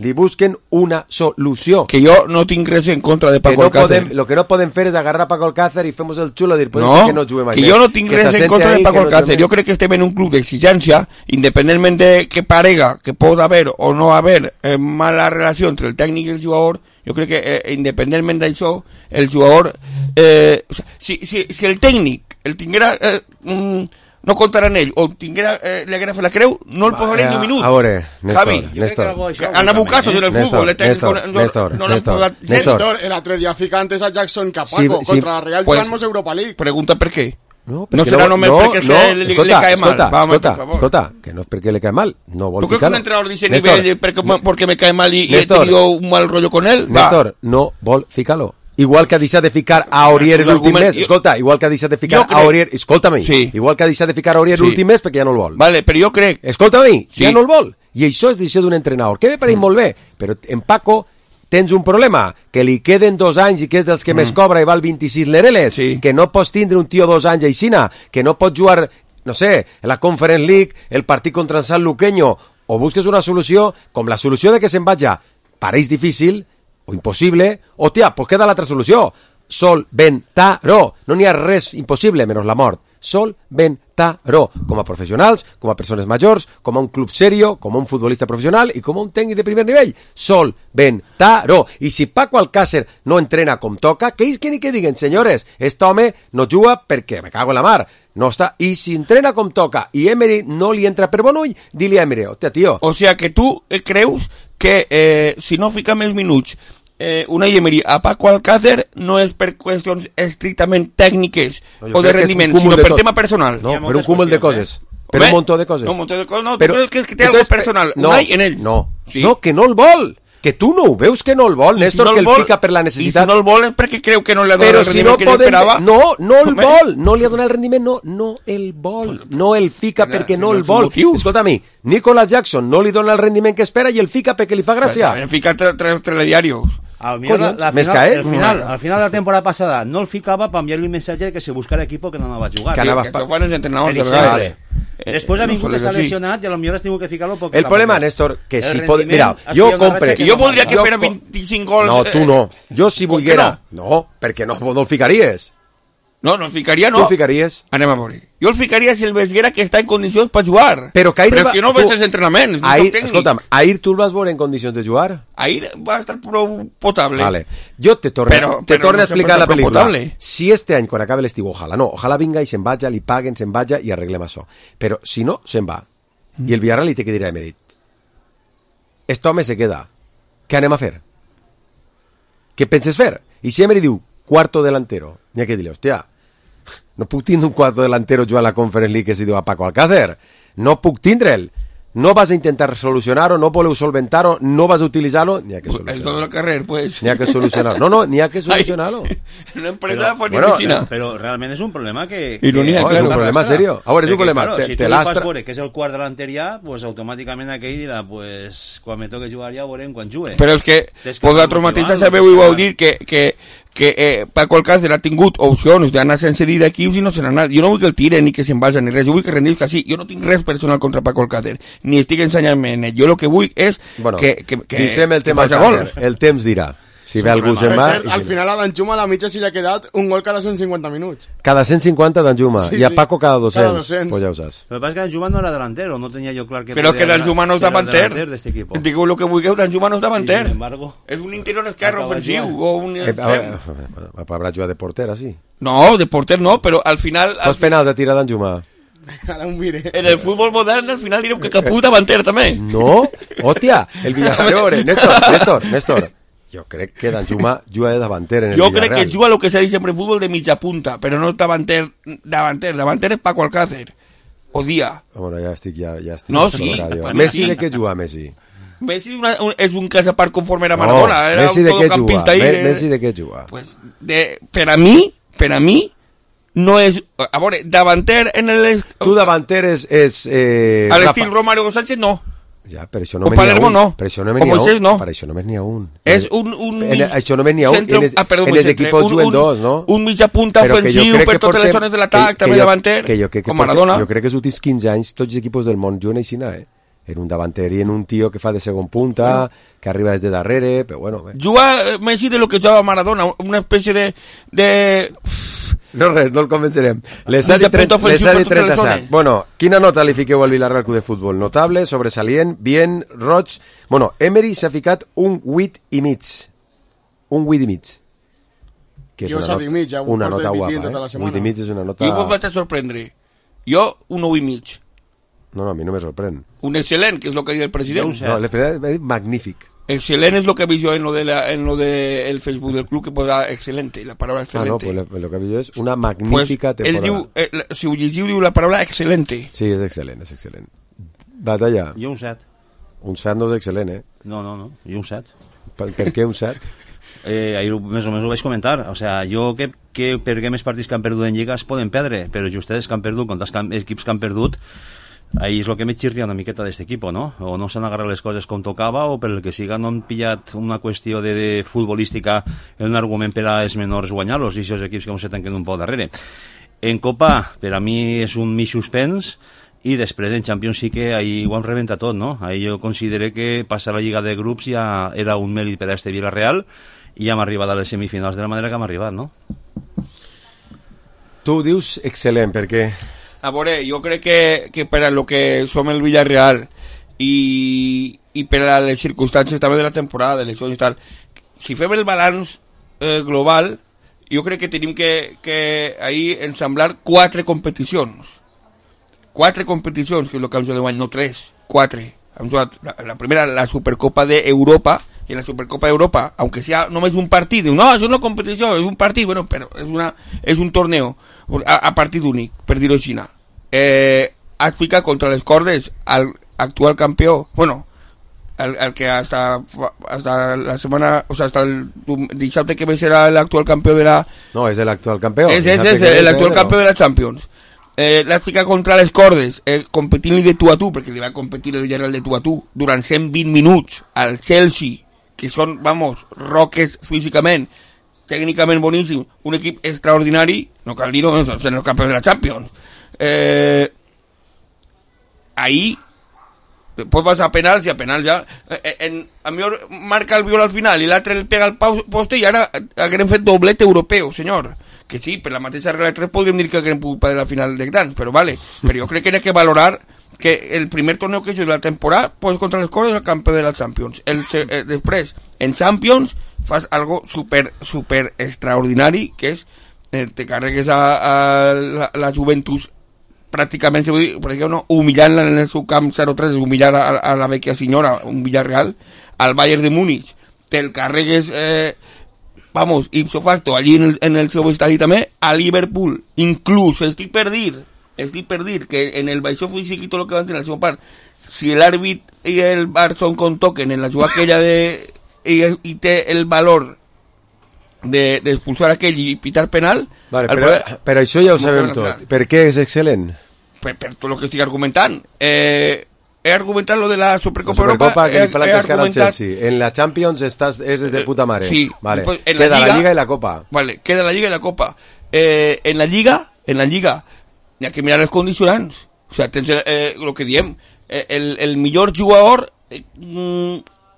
li busquen una solució. Que jo no tinc res en contra de Paco Alcácer. Lo que no podem fer és agarrar a Paco Alcácer i fem el xulo i dir, pues no, que no juguem que jo no tinc res en contra de Paco Alcácer. Jo crec que estem en un club d'exigència, independentment de que parega que pot haver o no haver mala relació entre el tècnic i el jugador. Jo crec que independentment d'això, el jugador... si el tècnic el tinguera... no comptarà en ell, o tinguera l'agrefa la creu, no el posaria ni un minut. A veure, Néstor. Han hagut casos en el futbol. Néstor, el altre dia fica antes a Jackson que a Paco, contra la Real jugant-nos Europa League. Pregunta per què. No serà només perquè li cae mal. Escolta, que no és perquè le cae mal, no vol ficar-lo. ¿Tú crees que un entrenador dice nivel porque me cae mal y he tenido un mal rollo con él? Néstor, no vol ficar-lo. Igual que ha deixat de ficar a Aurier l'últim mes, escolta, igual que ha deixat de ficar a Aurier, escolta-me, igual que ha deixat de ficar a Aurier l'últim mes perquè ja no el vol. Vale, però jo crec... Escolta-me, ja no el vol. I això és decisió d'un entrenador, que me pareix molt bé, però en Paco tens un problema, que li queden 2 anys i que és dels que més cobra i val 26 lereles, que no pots tindre un tio 2 anys aixina, que no pots jugar, no sé, la Conference League, el partit contra el Sant Luqueño, o busques una solució, com la solució de que se'n vaja pareix difícil, o impossible, o tia, pues queda l'altra solució, solventar-ho, no n'hi ha res impossible menys la mort, solventar-ho, com a professionals, com a persones majors, com a un club serio, com a un futbolista professional i com a un tècnic de primer nivell, solventar-ho. I si Paco Alcácer no entrena com toca, que ells que diguen, senyores, este home no juga perquè me cago en la mar, no està, i si entrena com toca i Emery no li entra per bon ull, di-li a Emery, hòstia, tio. O sea que tu creus que si no fica més minuts Unai Emery a Paco Alcácer no és per qüestions estrictament tècniques o de rendiment, sinó per tema personal. No, per un cúmul de coses. Per un muntó de coses. No, un muntó de coses. No, tu creus que té algo personal, Unai en ell. No, que no el vol. Que tu no ho veus que no el vol, Néstor, que el fica per la necessitat. I si no el vol és perquè creu que no li ha donat el rendiment que esperava. No el vol, no li ha donat el rendiment, no el vol, no el fica perquè no el vol. Escolta-me, Nicolas Jackson no li dona el rendiment que espera i el fica perquè li fa gràcia. El fica telediarios. Al final de la temporada pasada no el ficaba para enviarle un mensaje de que se buscara equipo que no anava a jugar. Que fueran els entrenadors de vegades. Después ha vingut que s'ha lesionat i a lo millor has tingut que ficar-lo porque... El problema, Néstor, que si pot... Mira, jo compre... Que jo voldria que fera 25 gols... No, tu no. Jo si volguera... No, perquè no el ficaries. No el ficaria, no. Tu el ficaries? Anem a veure. Jo el ficaria si el veguera que està en condicions per jugar. Però que no veig els entrenaments, no soc tècnic. Escolta'm, ahir tu el vas veure en condicions de jugar? Ahir va estar prou potable. Vale. Jo te torno a explicar la pel·lícula. Si este any, quan acabe l'estiu, ojalà vinga i se'n vaja, li paguen, se'n vaja i arreglem això. Però si no, se'n va. I el Villarreal li té que dir a Emery, este home se queda. Què anem a fer? Què penses fer? I si Emery diu, cuarto delantero, n'hi ha que dir-li, hòstia, no puc tindre un cuarto delantero jugant a la Conference League que se diu a Paco Alcácer. No puc tindre'l. No vas a intentar solucionar-ho, no voleu solventar-ho, no vas a utilitzar-ho, n'hi ha que solucionar-ho. El todo el carrer, pues. N'hi ha que solucionar-ho. No, n'hi ha que solucionar-ho. Una empresa por medicina. Pero realmente es un problema que... Ironía, claro. Es un problema serio. Ahora es un problema. Claro, si tú vas por que es el quart delanter ya, pues automáticamente aquell dirà, pues, quan me toque jugar ja veurem quan jugue. Però és que vosaltres mateixos sabeu i vau dir que Paco Alcácer ha tingut opcions d'anar sense dir d'equips i no se n'ha anat. Jo no vull que el tiren ni que se'n vagi ni res, jo vull que rendisca així. Jo no tinc res personal contra Paco Alcácer, ni estic ensenyant-me en ell. Jo el que vull és que deixem el tema Alcácer. El temps dirà. Si ve algú se'n va... Al final a Danjuma a la mitja si li ha quedat un gol cada 150 minuts. Cada 150 Danjuma. I a Paco cada 200. Pues ja ho saps. Lo que pasa es que Danjuma no era delantero, no tenía yo claro que... Pero que Danjuma no és davanter. Digo lo que vulgueu, Danjuma no és davanter. És un interior esquerre ofensiu. O un... Habrà jugat de porter, així? No, de porter no, però al final... Fos penal de tirar Danjuma. Ara ho mire. En el futbol modern al final direu que Capú davanter també. No, hòstia, el Villarreal. Néstor. Jo crec que Danjuma juga de davanter en el Jo Villarreal. crec que juga el que s'ha dit sempre en futbol de mitja punta, però no davanter. Davanter és Paco Alcácer. O Dia. Bueno, ja estic No, per sí, la ràdio. per Messi mi de què juga, Messi? Messi és un cas a part conforme era Maradona. Era Messi un de què todocampista juga? ahí. Messi de què juga? Pues, per a mi, no és... A veure, davanter en el... Tu davanter és a l'estil Romario Sánchez, no. Ja, per això O només n'hi ha Palermo un. no. Per això només O n'hi ha Moisés un. no. Per això només n'hi ha un. És Això només n'hi ha un. centre- En els equipos juguen dos, no? Un mitja punta Però que jo ofensiu crec per que totes les portem- zones de l'atac, també davanter, com Maradona. Jo crec que els últims 15 anys tots els equipos del món juguen així, en un davanter i en un tio que fa de segon punta, que arriba des de darrere, però bueno... Juga Messi de lo que jugava Maradona, una espècie de... No res, no el convencerem. Les Mitja ha dit punta ofensiu per totes les 37. zones. Bueno, quina nota li fiqueu al Villarreal Club de Futbol? Notable, sobresalient, bien, roig... Bueno, Emery s'ha ficat un 8,5. Un 8,5. Que és Jo s'ha dit mig, ja ho una porto nota repetint guapa, tota la setmana. 8,5 és una nota... Jo vos vaig a sorprendre. Jo, un 9,5. No, a mi no me sorprèn. Un excel·lent, que és el que diu el president. No, l'he dit magnífic. Excel·lent és el que he vist jo en lo de el Facebook del club, que posa excelente, la paraula Ah, no, excelente. pues lo que vist és una magnífica Ell temporada. diu, si ho llegiu, diu la paraula excelente. Sí, és excel·lent, és excel·lent. Batalla. Jo un 7. Un 7 no és excel·lent, No, jo un 7. Per què un 7? Ahir més o menys ho vaig comentar. O sea, jo que per què més partits que han perdut en Lliga es poden perdre, però justes que han perdut contra els equips que han perdut, ahí és el que me xirria una miqueta d'aquest equip, no? O no s'han agarrat les coses com tocava, o per el que siga no han pillat una qüestió de futbolística en un argument per a els menors guanyar-los, i aquests equips que se tanquen un poc darrere. En Copa, per a mi és un mig suspens, i després en Champions sí que ahí ho han rebentat tot, no? Ahí jo considero que passar la Lliga de Grups ja era un mèrit per a este Villarreal, i hem arribat a les semifinals de la manera que hem arribat, no? Tu dius excel·lent, per què? A veure, jo crec que per a lo que som el Villarreal i per a les circumstàncies també de la temporada, de eleccions i tal, si fem el balanç global, jo crec que tenim que ahir ensamblar 4 competicions. 4 competicions, que és el que hem jugat d'any, no 3, 4. Hem jugat la primera, la Supercopa d'Europa, i en la Supercopa d'Europa, aunque sea només un partit, diu, no, això no és competició, és un partit, bueno, però és un torneo a partit únic, per dir-ho així. Has ficat contra les cordes al actual campió, bueno, el que hasta la semana, o sea, hasta el dissabte que ve serà l'actual campió de la... No, és l'actual campió. És l'actual campió de la Champions. L'has ficat contra les cordes, competint-li de tu a tu, perquè li va competir el Villarreal de tu a tu, durant 120 minuts al Chelsea, que són, vamos, roques físicament, tècnicament boníssim, un equip extraordinari, no cal dir-ho, són els campions de la Champions. Ahí pues vas a penals, i a penals ja a millor marca el viol al final i l'altre el pega al poste, i ara haguem fet doblet europeu, senyor, que sí, per la mateixa regla 3 podríem dir que haguem pogut perdre la final de grans, però vale, però jo crec que hi ha que valorar que el primer torneo que he hecho de la temporada pues contra les coses el campió de la Champions, després en Champions fas algo super extraordinari, que és te carregues a la Juventus pràcticament, per exemple, no, humillant-la en el seu camp 0-3, humillar a la vecchia senyora, un Villarreal, al Bayern de Múnich, te'l carregues, vamos, ipso facto, allí en el seu estadi també, a Liverpool, inclús, estic per dir que en el baixó físic i tot el que van tenir al seu part, si l'àrbit i el Barça con toquen en la jugada aquella i té el valor d'expulsar aquell i pitar penal, vale, però això ja ho sabem tot. Per què és excel·lent? Per tot el que estic argumentant. He argumentat lo de la Supercopa Europa, que he argumentat... Chelsea. En la Champions eres de puta mare. Sí. Vale. Después, queda la Liga y la Copa. Vale, queda la Liga y la Copa. En la Liga hi ha que mirar els condicionants. O sea, tens lo que diem. El millor jugador...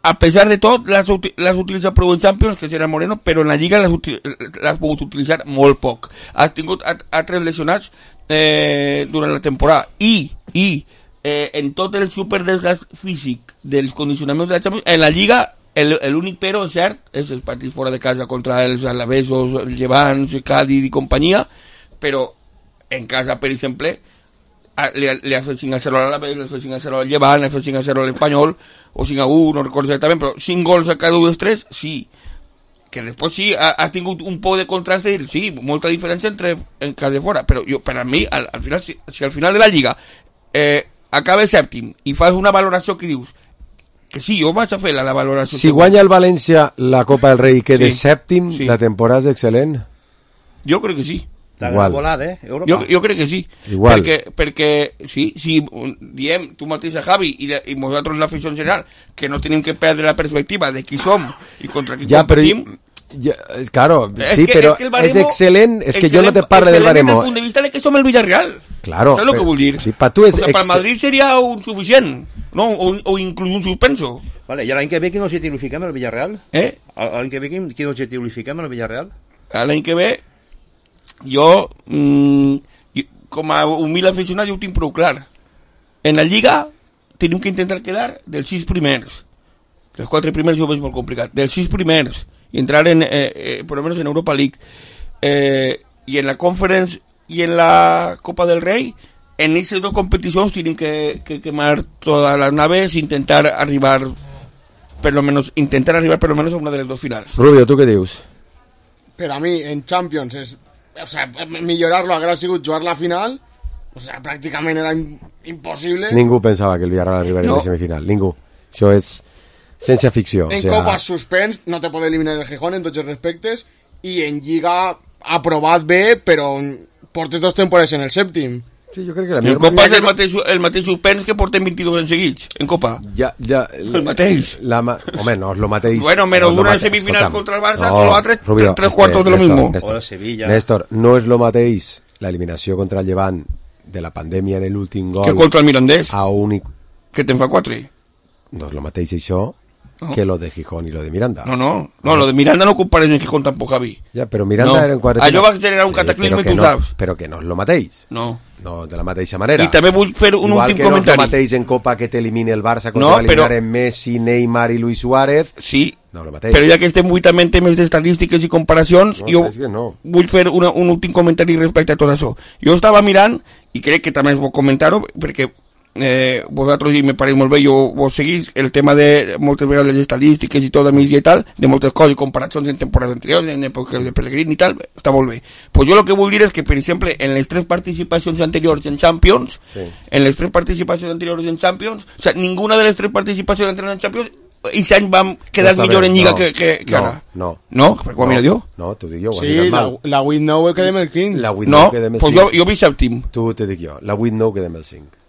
a pesar de tot, l'has utilitzat prou en Champions, que serà Moreno, però en la Lliga l'has pogut utilitzar molt poc. Has tingut altres lesionats durant la temporada. I en tot el superdesgast físic dels condicionaments de la Champions, en la Lliga, l'únic però, és cert, és els partits fora de casa contra els Alavesos, el Llevants, Cádiz i companyia, però en casa, per exemple, le hace 5-0 a l'Alavés, le hace 5-0 al Llevant, le hace 5-0 al Espanyol, o 5-1, no recordo exactament, però 5 gols a cada un dels 3, sí. Que després sí, ha tingut un poc de contrast de dir, sí, molta diferència entre en cas de fora, però jo, per a mi, al final, si al final de la Lliga acaba sèptim i fas una valoració que dius que sí, jo vaig a fer la valoració. Si guanya el València la Copa del Rei i queda sèptim, la temporada és excel·lent? Jo crec que sí. Igual. Volada, jo crec que sí. Igual. Perquè sí, diem tu mateix a Javi i nosaltres l'afició en general que no tenim que perdre la perspectiva de qui som i contra qui competim. Claro, sí, pero es excelente. Es que yo no te parlo del baremo. Desde el punto de vista de que somos el Villarreal. Claro. ¿Sabes lo que vull dir? Sí, para tú es para el Madrid sería un suficient, ¿no? O incluso un suspenso. Vale, ¿y l'any que ve quin objectiu li fiquem al Villarreal? L'any que ve quin objectiu li fiquem al Villarreal? L'any que ve, jo, com a humil aficionat, jo ho tinc prou clar. En la Lliga tenim que intentar quedar dels 6 primers. Els 4 primers jo ho veig molt complicat. Dels 6 primers y entrar por lo menos en Europa League y en la Conference y en la Copa del Rey. En esas dos competiciones tienen que quemar todas las naves, intentar arribar por lo menos a una de las dos finales. Rubio, ¿tú qué dius? Pero a mí en Champions millorar-lo haguera sigut jugar la final, pràcticament era impossible. Ningú pensava que el Villarreal arribaria a la semifinal, ningú. Això és ciència ficció. En Copa suspens, no te pot eliminar el Gijón en tots els respectes, i en Lliga aprovat bé, però portes 2 temporades en el sèptim. Sí, jo crec que en Copa és el mateix suspens que portem 22 en seguits, en Copa. Ja, el mateix. Home, no és lo mateix. Bueno, menos una semifinal contra el Barça, con los otros 3 cuartos de lo mismo. Néstor, no és lo mateix la eliminació contra el Llevant de la pandèmia en l'últim gol que contra el Mirandés, que te'n fa 4. No és lo mateix això que lo de Gijón y lo de Miranda. No, lo de Miranda no compares en Gijón tampoc, Javi. Ja, però Miranda era en quart. Allò va generar un cataclisme, tu saps. Però que no és lo mateix. No, de la mateixa manera. I també vull fer un últim comentari. Igual que no és lo mateix en Copa que t'elimini el Barça quan va eliminar en Messi, Neymar i Luis Suárez. Sí, no, lo mateix. Però ja que estem buitament temes d'estadístiques i comparacions, jo vull fer un últim comentari respecte a tot això. Jo estava mirant, i crec que també és bo comentar-ho, perquè vosaltres, i me pareix molt bé, vos seguís el tema de moltes vegades les estadístiques i tot a migdia i tal, de moltes coses i comparacions en temporades anteriors, en èpoques de Pellegrini i tal, està molt bé. Pues jo el que vull dir és que, per exemple, en les 3 participacions anteriors en Champions, o sea, ninguna de les 3 participacions anteriors en Champions, i any vam quedar millor en Lliga que ara. No. No? Per quan mira jo? No, t'ho dic jo. Sí, la 8-9 quedem el 15. No, pues jo vi sèptim. Tu te dic jo, la 8-9 quedem el 5.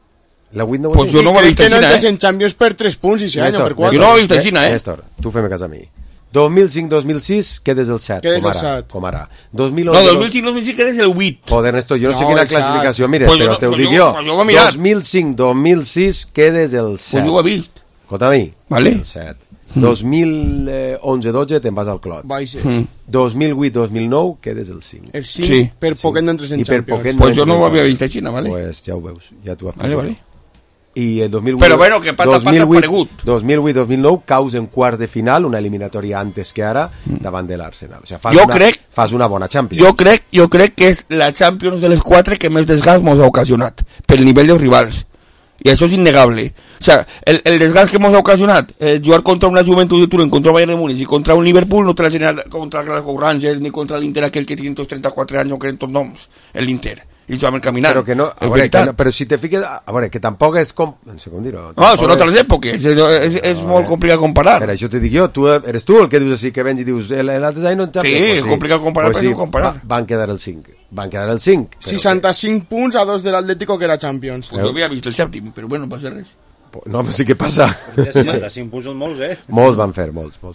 Pues jo no ho he vist així, en Champions per 3 punts i 6 anys per 4. Jo no ho he vist així, Néstor, tu fem cas a mi. 2005-2006 quedes el 7, com ara. No, 2005-2006 quedes el 8. Joder, Néstor, jo no sé quina classificació mires, però te ho dic jo. 2005-2006 quedes el 7. Pues jo ho he vist. Escolta a mi, el 7. 2011-12 te'n vas al Clot. 2008-2009 quedes el 5. El 5 per poquet no entres en Champions. Pues jo no ho havia vist així, ¿vale? Pues ja ho veus, ja t'ho has vale. I el 2008, però bueno, que pata aparegut. 2008-2009 caus en quarts de final, una eliminatòria antes que ara, davant de l'Arsenal. O sigui, fas una bona Champions. Jo crec que és la Champions de les 4 que més desgast mos ha ocasionat, pel nivell dels rivals. Y eso es innegable. O sea, el desgaste que hemos ocasionado, jugar contra una Juventud de Turín, contra Bayern de Múnich y contra un Liverpool, no te la genera contra el Glasgow Rangers ni contra el Inter, aquel que tiene 34 años, que en tots noms, el Inter. I jo vam caminar. Però que no, però si te fiques, a veure, que tampoc és com... No sé com dir-ho. No, són altres èpoques, és molt complicat comparar. Per això te dic jo, eres tu el que dius així, que vens i dius, l'altre any no en Champions. Sí, és complicat comparar, però no comparar. Van quedar el 5. 65 punts a 2 de l'Atlético, que era Champions. Pues jo havia vist el sèptim, però bueno, no passa res. No, però sí que passa. 65 punts són molts, Molts van fer, molts. I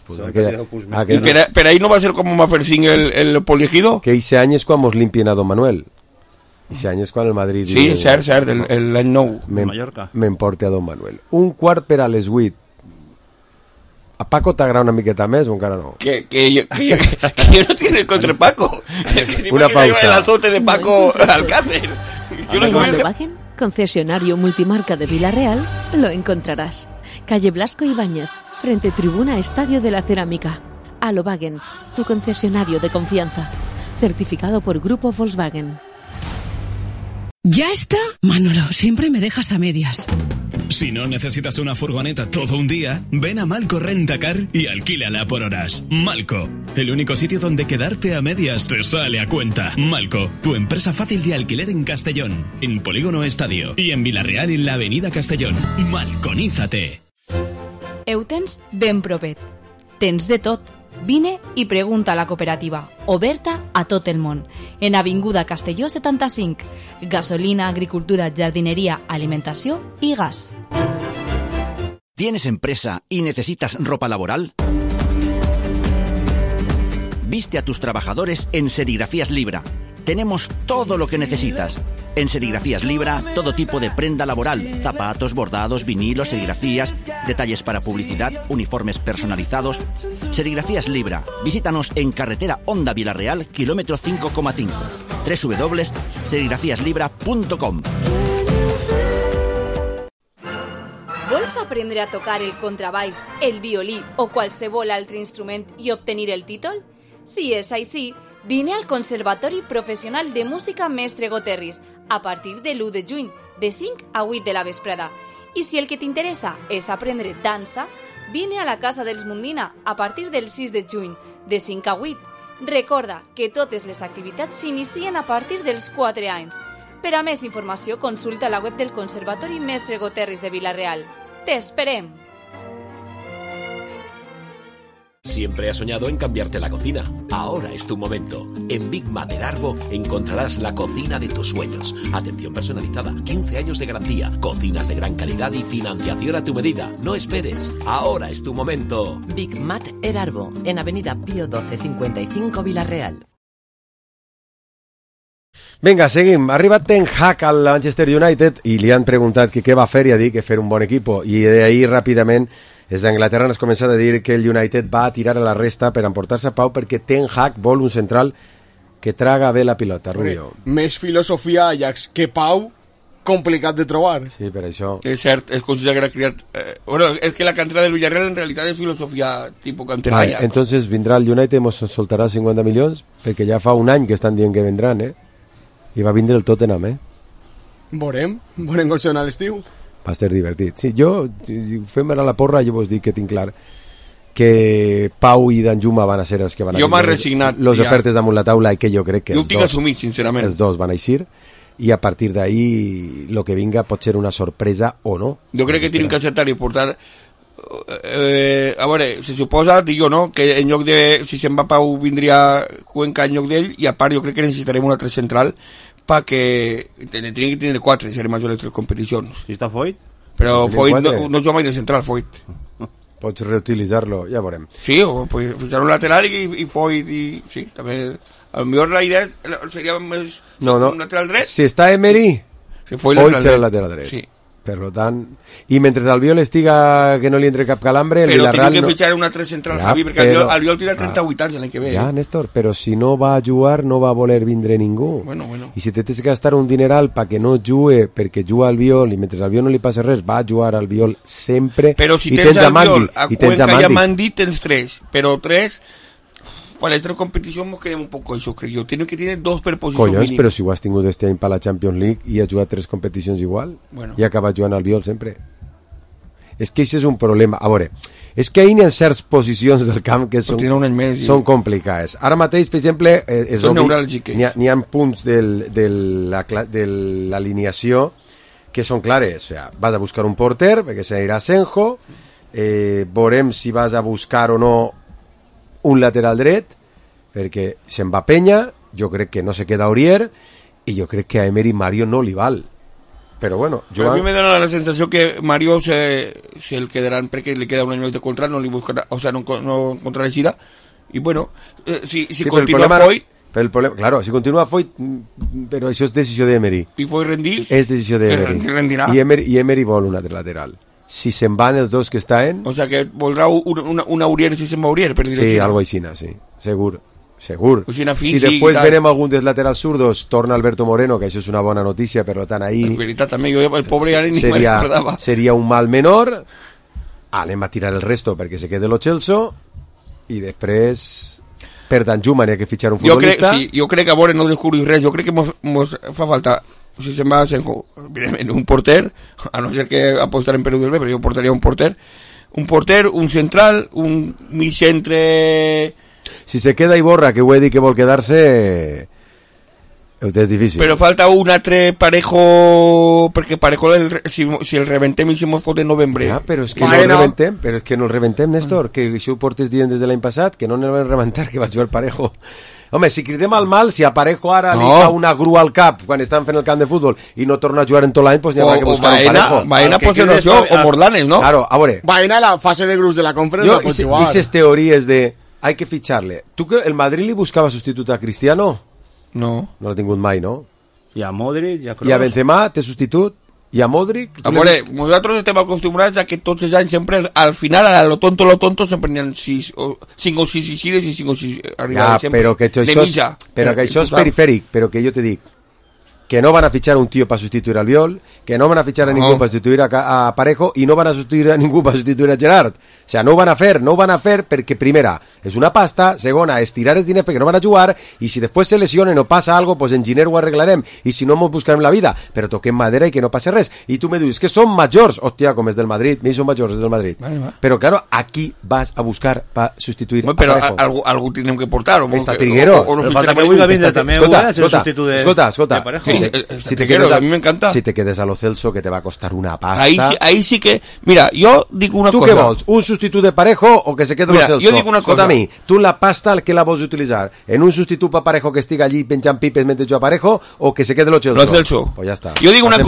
per ahí no va ser com va fer 5 el Poliegido? Que eixe any és quan mos limpien a Don Manuel. Eixe any és quan el Madrid... Sí, cert, l'any 9. M'emporte a Don Manuel. Un quart per a les 8. ¿A Paco t'agrada una miqueta més o encara no? Que yo no tiene contra Paco. Una pausa. El azote de Paco Alcácer. En Alobagen, concesionario multimarca de Villarreal, lo encontrarás. Calle Blasco Ibáñez, frente Tribuna Estadio de la Cerámica. Alobagen, tu concesionario de confianza. Certificado por Grupo Volkswagen. ¿Ya está? Manolo, siempre me dejas a medias. Si no necesitas una furgoneta todo un día, ven a Malco Rentacar y alquílala por horas. Malco, el único sitio donde quedarte a medias te sale a cuenta. Malco, tu empresa fácil de alquiler en Castellón, en Polígono Estadio y en Vilareal en la Avenida Castellón. Malconízate. Ho tens ben propet. Tens de tot. Vine i pregunta a la cooperativa, oberta a tot el món, en Avinguda Castelló 75. Gasolina, agricultura, jardinería, alimentació i gas. ¿Tienes empresa y necesitas ropa laboral? Viste a tus trabajadores en Serigrafías Libra. Tenemos todo lo que necesitas. En Serigrafías Libra, todo tipo de prenda laboral, zapatos, bordados, vinilos, serigrafías, detalles para publicidad, uniformes personalizados. Serigrafías Libra. Visítanos en carretera Honda Vilareal, kilómetro 5,5. www.serigrafiaslibra.com. Vols aprendre a tocar el contrabaix, el violí o qualsevol altre instrument i obtenir el títol? Si és així, vine al Conservatori Professional de Música Mestre Goterris a partir de l'1 de juny, de 5 a 8 de la vesprada. I si el que t'interessa és aprendre dansa, vine a la Casa dels Mundina a partir del 6 de juny, de 5 a 8. Recorda que totes les activitats s'inicien a partir dels 4 anys. Per a més informació, consulta la web del Conservatori Mestre Goterris de Vila-real. ¡Te esperem! Siempre has soñado en cambiarte la cocina. Ahora es tu momento. En Big Mater Arbo encontrarás la cocina de tus sueños. Atención personalizada, 15 años de garantía, cocinas de gran calidad y financiación a tu medida. No esperes. Ahora es tu momento. Big Mater Arbo, en Avenida Pío 12 55 Vila-real. Vinga, seguim. Ha arribat Ten Hag al Manchester United i li han preguntat què va fer i ha dit que fer un bon equip. I d'ahir ràpidament des d'Anglaterra has començat a dir que el United va a tirar a la resta per emportar-se a Pau perquè Ten Hag vol un central que traga bé la pilota, Rubio. Més filosofia Ajax que Pau, complicat de trobar. Sí, per això. És cert, es considera que era criat... bueno, és que la cantera del Villarreal en realitat és filosofia tipus cantera Ajax. Entonces vindrà el United, ens soltarà 50 milions, perquè ja fa un any que estan dient que vendran, i va vindre el Tottenham, Veurem gols a l'estiu. Va ser divertit. Sí, jo, fem a la porra, jo vos dic que tinc clar que Pau i Danjuma van a ser els que van a... Jo m'he resignat. Les ofertes damunt la taula i que jo crec que jo ho tinc assumit, sincerament. Els dos van a eixir i a partir d'ahí lo que vinga pot ser una sorpresa o no. Jo crec que tenen que acertar i portar... a veure, se suposa, dic jo, no?, que en lloc de... Si se'n va Pau vindria Cuenca en lloc d'ell i a part jo crec que necessitarem un altre central perquè tenia que tenir 4 serem majors les 3 competicions. Si està Foyt? Però Foyt no juga mai de central, Foyt. Pots reutilitzar-lo, ja veurem. Sí, o pues, fichar un lateral i Foyt i... Sí, també... A lo millor la idea seria més un lateral dret. Si està Emery, Foyt serà el lateral dret. Sí. Per tant, i mentre Albiol estiga que no li entre cap calambre, el Villarreal... Però tiene que fichar un altre central, ja, Javi, perquè Albiol tindrà 38 anys l'any que ve. Ja, Néstor, però si no va a jugar no va a voler vindre ningú. Bueno. I si te tens que gastar un dineral perquè no jugue, perquè juga Albiol, i mentre Albiol no li passa res, va a jugar Albiol sempre. Però si tens Albiol, a Cuenca i a Mandi tens 3, però 3... Para la competición nos quedamos un poco eso, creo yo. Tiene que tener 2 per posició mínim. Però si ho has tingut este any per la Champions League i has jugat 3 competicions igual, i acabas jugant al Albiol sempre. És que això és un problema. A veure, és que hi ha certes posicions del camp que són complicades. Ara mateix, per exemple, n'hi ha punts de l'alineació que són clares. O sea, vas a buscar un porter, perquè s'anirà Senjo, veurem si vas a buscar o no un lateral dret, perquè se'n va Penya, jo crec que no se queda Aurier, i jo crec que a Emery Mario no li val. Però bueno, a mi me dona la sensació que Mario se el quedaran perquè li queda un any de contrat, no li buscarà, o sea, no encontrarà l'eixida, i bueno, si continua Foyt... Claro, si continua Foyt, però això és decisió d'Emery. I Foyt rendís? És decisió d'Emery. I Emery vol un altre lateral. Si se'n van els dos que estan... O sea, que voldrà un Aurier si se'n va Aurier, per dir-ho així. Sí, algo així, sí. Segur. Si després venem algun dels laterals zurdos, torna Alberto Moreno, que això és una bona notícia, per tant, ahí... En veritat, també, el pobre ja ni me recordava. Seria un mal menor, anem a tirar el resto perquè se quede lo Chelsea, i després... Per Danjuma n'hi ha que fitxar un futbolista. Jo crec que a veure no descobrir res, jo crec que mos fa falta si se'n va Senjo, evidentment un porter, a no ser que apostarem per Udel B, però jo portaria un porter, un central, un mig centre... Si se queda Iborra, que ho he dit que vol quedar-se, és difícil. Però falta un altre Parejo, perquè Parejo si el rebentem i si mos fot en novembre. Ja, però és que no el rebentem, Néstor, que això ho portes dient des de l'any passat, que no el vam rebentar, que va jugar Parejo. Home, si cridem al mal, si a Parejo ara li fa una grua al cap quan estan fent el camp de futbol i no torna a jugar en tot l'any, doncs n'hi haurà que buscar un Parejo. Baena pot ser això, o Morlanes, ¿no? Claro, a veure. Baena a la fase de grups de la conferència pot jugar. Dices teories de hay que ficharle. ¿Tú que el Madrid li buscava substitut a Cristiano? No. No l'ha tingut mai, no? I a Modric, i a Kroos. I a Benzema té substitut? I a Modric? A veure, nosaltres estem acostumbrats a que tots els anys sempre, al final, a lo tonto, sempre n'hi ha 5 o 6 ixides i 5 o 6 arribades. Ja, però que això és perifèric, però que jo te dic que no van a fichar un tío para sustituir al Albiol, que no van a fichar a ningú para sustituir a Parejo i no van a sustituir a ningú para sustituir a Gerard. O sea, no ho van a fer perquè, primera, és una pasta, segona, estirar els diners perquè no van a jugar, i si després se lesionen o passa algo, pues en Giner ho arreglarem, i si no, mos buscarem la vida, però toquem madera i que no passi res. I tu me dius que són majors, hòstia, com és del Madrid, mi són majors, és del Madrid. Vale. Però, claro, aquí vas a buscar para sustituir a Parejo. Però algú tindrem que portar. Està Trigueros. Falta que vulgui vindre també, escolta, Parejo. Si te quedes, a mí me encanta. Si te quedes a Lo Celso, que te va a costar una pasta. Ahí sí que... Mira, yo digo una cosa. ¿Tú qué vols? ¿Un sustituto de Parejo o que se quede Lo Celso? Yo digo una cosa. A mi, tu la pasta al que la vols utilitzar? ¿En un sustituto para Parejo que estiga allí penjant pipes mentre jo a Parejo o que se quede Lo Celso? Lo Celso. Pues ya está. Yo digo una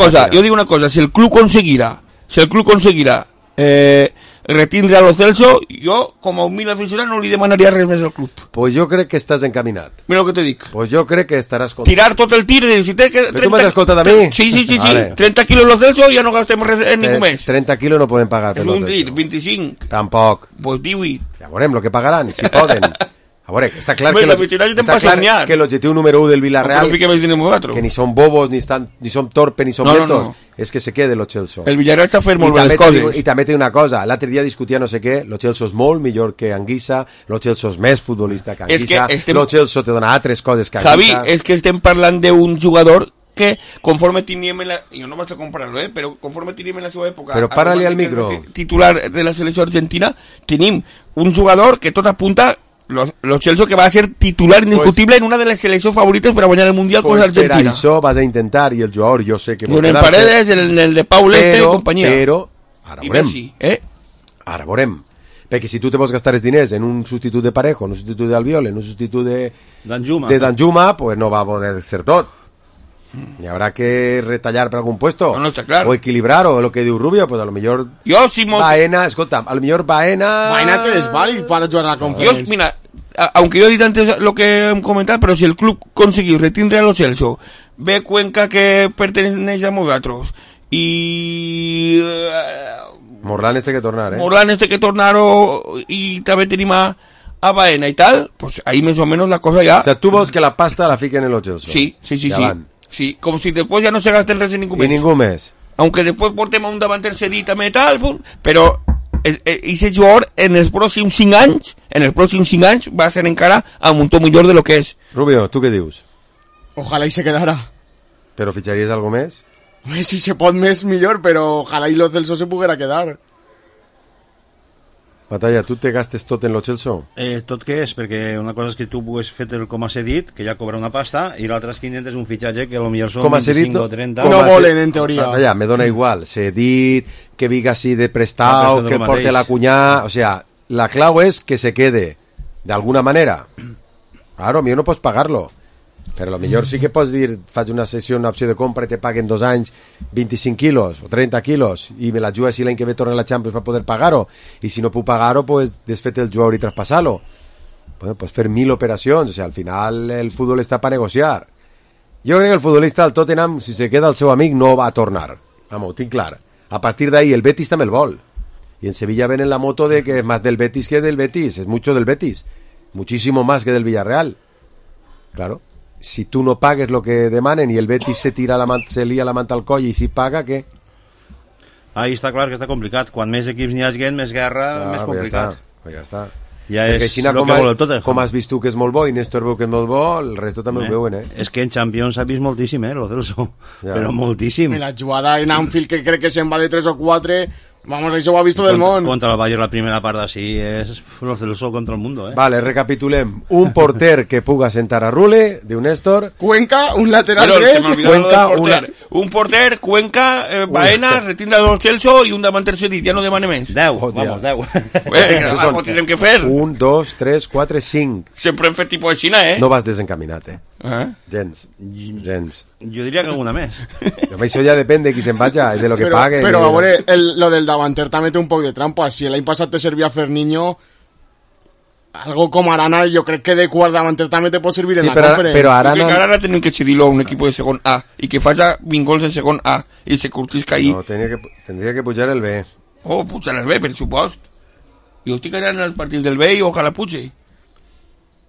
cosa. Si el club conseguirá retindre a Lo Celso, jo, com a humil aficionat, no li demanaria res més al club. Pues jo crec que estàs encaminat. Mira el que te dic. Pues jo crec que estaràs content. Tirar tot el tir, si té que... Però tu m'has escoltat a mi? Sí. Vale. 30 quilos Lo Celso i ja no gastem res en ningú més. 30 quilos no poden pagar. És un tir, 25. Tampoc. Pues 18. Ja veurem el que pagaran, si poden. A veure, està clar que l'objectiu número 1 del Villarreal, que ni són bobos, ni són torpes, ni són lentos, és que se quede Lo Celso. El Villarreal s'ha fet molt bé les coses. I també té una cosa, l'altre dia discutia no sé què, Lo Celso és molt millor que Anguissa, Lo Celso és més futbolista que Anguissa, Lo Celso te dona altres coses que Anguissa. Javi, és que estem parlant d'un jugador que conforme teníem jo no vaig a comparar-lo, però conforme teníem en la seva època, però para-li al micro, titular de la selecció argentina, tenim un jugador que tot apunta Lo Celso, que va a ser titular indiscutible en una de las selecciones favoritas para ganar el Mundial con Argentina. Per això vas a intentar, i el jugador jo sé que vol quedar-se. En Paredes, el de Paul y compañía. Però, ara veurem. Perquè si tu te vols gastar els diners en un substitut de Parejo, en un substitut d'Albiol, en un substitut de Danjuma, pues no va a poder ser tot. Y habrá que retallar per algún puesto. No está claro. O equilibrar, o lo que diu Rubio, pues a lo mejor Baena, escolta, a lo mejor Baena te es válido para jugar a la conferencia. Mira, aunque yo he dicho antes lo que he comentado, pero si el club consiguió retindre a Lo Celso, ve Cuenca que pertenece a nosaltres y Morlán este que tornar, y també tenim a Baena y tal, pues ahí más o menos la cosa ya. O sea, tú vols que la pasta la fiquen en Lo Celso. Sí. Sí, como si después ya no se gasten res en ningún mes. Y ningún mes. Aunque después portem a un davanter cedit també tal, però ese jugador en els pròxims 5 anys va a ser encara a un to millor de lo que és. Rubio, ¿tú qué dius? Ojalá y se quedara. ¿Pero ficharías algo més? Si se pot més millor, però ojalá y Lo Celso se poguera quedar. Batalla, tu te gastes tot en Lo Celso? Tot què és? Perquè una cosa és que tu pugues fer com a cedit, que ja cobra una pasta, i l'altra és que intentes un fitxatge que potser són 25 o 30. No volen, en teoria. Batalla, me dona igual. Cedit, que viga así de prestado, que porte la cuñá. O sea, la clau és que se quede, de alguna manera. Claro, a mi no pots pagar-lo. Però potser sí que pots dir, faig una sessió, una opció de compra i te paguen 2 anys 25 quilos o 30 quilos i me la jugues si l'any que ve torna a la Champions per poder pagar-ho, i si no puc pagar-ho, pues desfet el jugador i traspassar-lo. Pues fer 1000 operacions, o sea, al final el futbol està per negociar. Jo crec que el futbolista del Tottenham, si se queda el seu amic, no va a tornar. Vamos, ho tinc clar. A partir d'ahí el Betis també el vol. Y en Sevilla ven en la moto de que es más del Betis que del Betis, es mucho del Betis, muchísimo más que del Villarreal. Claro. Si tú no pagues lo que demanen y el Betis se lía la manta al coll i si paga, què? Ahí està clar que està complicat. Quan més equips n'hi hagi, més guerra, més complicat. Pues ja està. Ja perquè és així el que vol el Tottenham. com has vist tu que és molt bo i Néstor veu que és molt bo, el resto també ho veuen, És que en Champions s'ha vist moltíssim, lo Celso, però moltíssim. I la jugada en Anfield, que crec que se'n va de 3 o 4, vamos, això ho ha visto del món. Contra el Bayern la primera part així és lo Celso contra el mundo, Vale, recapitulem. Un porter que puga sentar a Rule, diu Néstor. Cuenca, un lateral Però se dret. m'olvidava lo del porter. Un porter, Cuenca, Baena, retindre el Celso i un davanter cedit, ja no demane més. 10, vamos, 10. Algo tindrem que fer. 1, 2, 3, 4, 5. Sempre hem fet tipus de Xina, No vas desencaminat, Gens. Jo diria que alguna més. Però això ja depèn de qui se'n vaja, de lo que pague. Però a veure, lo del davanter també té un poc de trampa. Si l'any passat te servia Ferniño, algo com Arana, jo crec que de quart davanter també te pot servir en la conferència. Però Arana... Que Arana tenen que cedir-lo a un equip de segon A i que faci 20 gols en segon A i se curtisca ahí. No, tendría que pujar el B. Oh, pujar el B, per supost. Jo estic anant als partits del B i ojalà puge.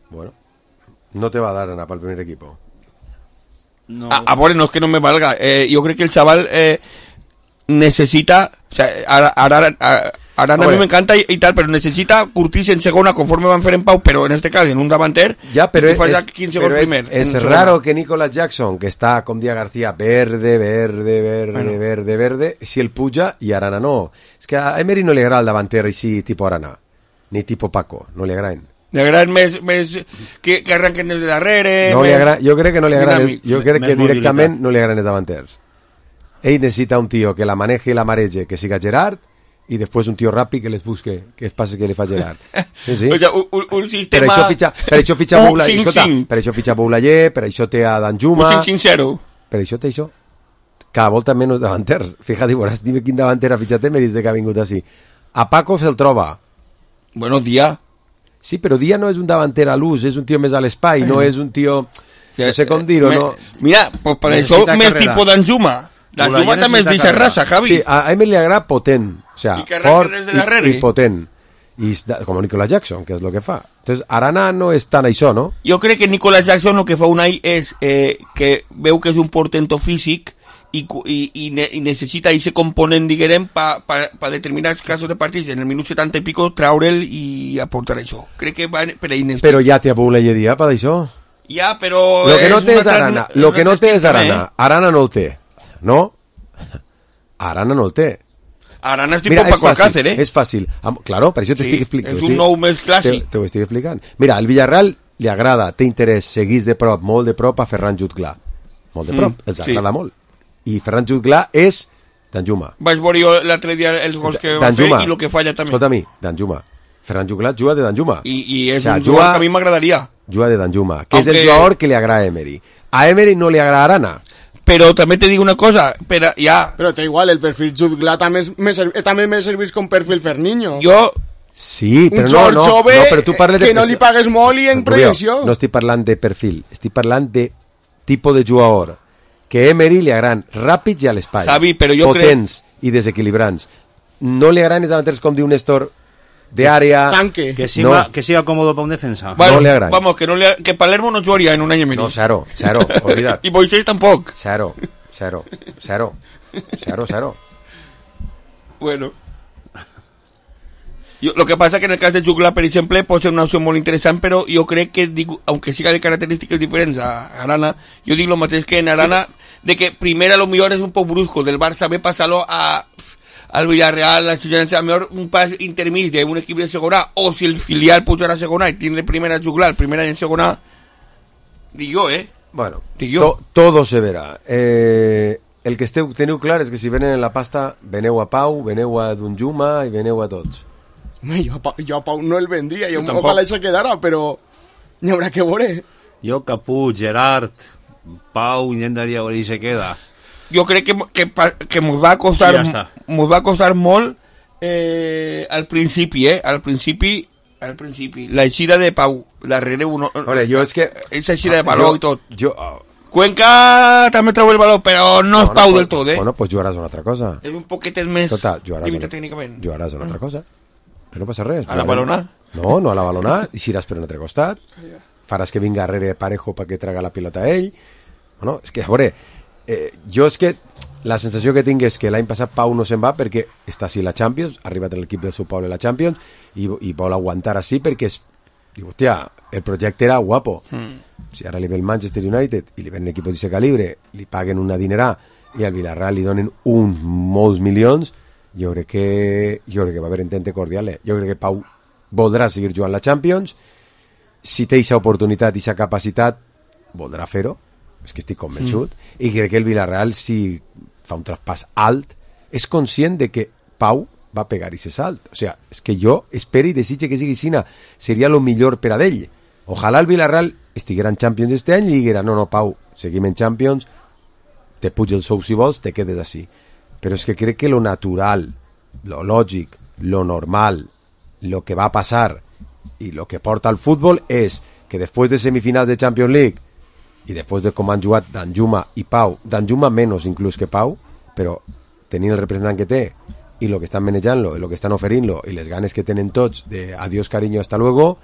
Bueno, no te va a dar anar pel primer equipo. No. A veure, no és que no me valga. Jo crec que el chaval necesita... O sea, Arana a mi m'encanta i tal, però necessita curtir-se en segona conforme van fer en Pau, però en este cas en un davanter ja, però que falla 15 gols primer. És raro que Nicolas Jackson, que està, com dia García, verde, si el puja i Arana no. És que a Emery no li agrada el davanter així tipus Arana, ni tipus Paco, no li agraden. Li agraden més que arranquen des de darrere. No jo crec que no li agraden, jo crec que directament no li agraden els davanters. Ell necessita un tio que la maneje i la mareje, que siga Gerard, i després un tio ràpid que les busque, que es passi que li fa Gerard. Sí. O sigui, un sistema... Per això fitxa Boulayer, per això té a Danjuma... Un 5-5-0. Per això té això. Cada volta menys davanters. Fíjate, veuràs, dime quin davanter ha fitxat Emery de que ha vingut així. A Paco se'l troba. Bueno, Díaz. Sí, però Díaz no és un davanter a l'ús, és un tio més a l'espai, no és un tio... No sé com dir-ho, no... Mira, pues per això més tipus Danjuma. Danjuma també és d'aquesta raça, Javi. Sí, a Emery li agrada potent, o sea, fort i potent. I com Nicolas Jackson, que és el que fa. Entonces, Arana no és tan això, no? Jo crec que Nicolas Jackson el que fa un any és que veu que és un portento físic i necessita ese component, diguem, per determinats casos de partits, en el minut 70 i pico, traure'l i aportar això. Crec que va per ahí. Però ja té a Boulayer dia per això. Ja, però... Lo que no té és Arana. Lo que no té és Arana. Arana no el té. ¿No? Arana no el té. Arana és tipus Paco Alcácer, És fàcil. Claro, per això t'estic explicant. És un nou més clàssic. Te ho estic explicant. Mira, al Villarreal li agrada, té interès, seguís de prop, molt de prop a Ferran Jutgla. Molt de prop, els agrada molt. I Ferran Jutgla és Danjuma. Vaig veure jo l'altre dia els gols que va fer i el que falla també. Escolta a mi, Danjuma. Ferran Jutgla juga de Danjuma. I és un jugador que a mi m'agradaria. Juga de Danjuma, que és el jugador que li agrada a Emery. A Emery no li agrada Arana. Però també te dic una cosa, però té igual, el perfil Jutgla també me servís com perfil Ferniño. Sí, però un jove però tu parles que no li pagues molt i en projecció. No estic parlant de perfil, estic parlant de tipus de jugador que Emery li agraden ràpids i a l'espai, potents i desequilibrants. No li agraden els davanters, com diu Néstor, de área, que siga cómodo para un defensa. Bueno, no le agrada. Vamos, que Palermo no jugaría en un año menos. No, cero, olvidad. Y Moisés tampoco. Cero. Bueno. Lo que pasa que en el caso de Jutgla, per exemple, pot ser una opció molt interessant, però jo crec que, aunque siga de característiques diferents a Arana, jo dic lo mateix que en Arana, de que primer a lo millor és un poc brusco, del Barça ve passar-lo al Villarreal, la Estudiantes, a lo mejor un pas intermís de un equip de segona, o si el filial pujarà a segona i tindre primera Jutgla, el primer any en segona, dic jo, Bueno, todo se verá. El que teniu clar és que si venen en la pasta, veneu a Pau, veneu a Danjuma i veneu a tots. Jo a Pau no el vendria, ojalà se quedara, però n'hi haurà que veure. Jo, Caput, Gerard, Pau, intentaria veure si se queda. Jo crec que mos va costar molt al principi, al principi la eixida de Pau darrere uno. Vale, jo és que esa eixida de baló i tot. Cuenca també treu el baló, però no és Pau del tot, Bueno, pues jugaràs una altra cosa. És un poquetet més limitat tècnicament. Jugaràs una altra cosa. No passa res. A la balona? No a la balona, i si iràs per un altre costat, faràs que vinga darrere Parejo perquè traga la pilota a ell. Bueno, és que, a veure, jo és que la sensació que tinc és que l'any passat Pau no se'n va perquè està així la Champions, ha arribat en l'equip del seu poble a la Champions i vol aguantar així perquè diu, hòstia, el projecte era guapo. Si ara li ve el Manchester United i li ven un equip d'aquest calibre, li paguen una dinerà i al Villarreal li donen molts milions, jo crec que va haver entente cordial. Jo crec que Pau voldrà seguir jugant la Champions, si té aquesta oportunitat i aquesta capacitat voldrà fer-ho, és que estic convençut, i crec que el Villarreal, si fa un traspàs alt, és conscient de que Pau va pegar aquest salt. O sigui, és que jo espero i desitge que sigui així, seria el millor per a ell. Ojalà el Villarreal estiguera en Champions este any i diguera, no, Pau, seguim en Champions, te puja el sou si vols, te quedes així. Però és que crec que lo natural, lo lògic, lo normal, lo que va passar i lo que porta al futbol és que després de semifinals de Champions League i després de com han jugat Danjuma i Pau, Danjuma menys inclús que Pau, però tenint el representant que té i el que estan manejant-lo, i el que estan oferint-lo i les ganes que tenen tots de adiós cariño, hasta luego,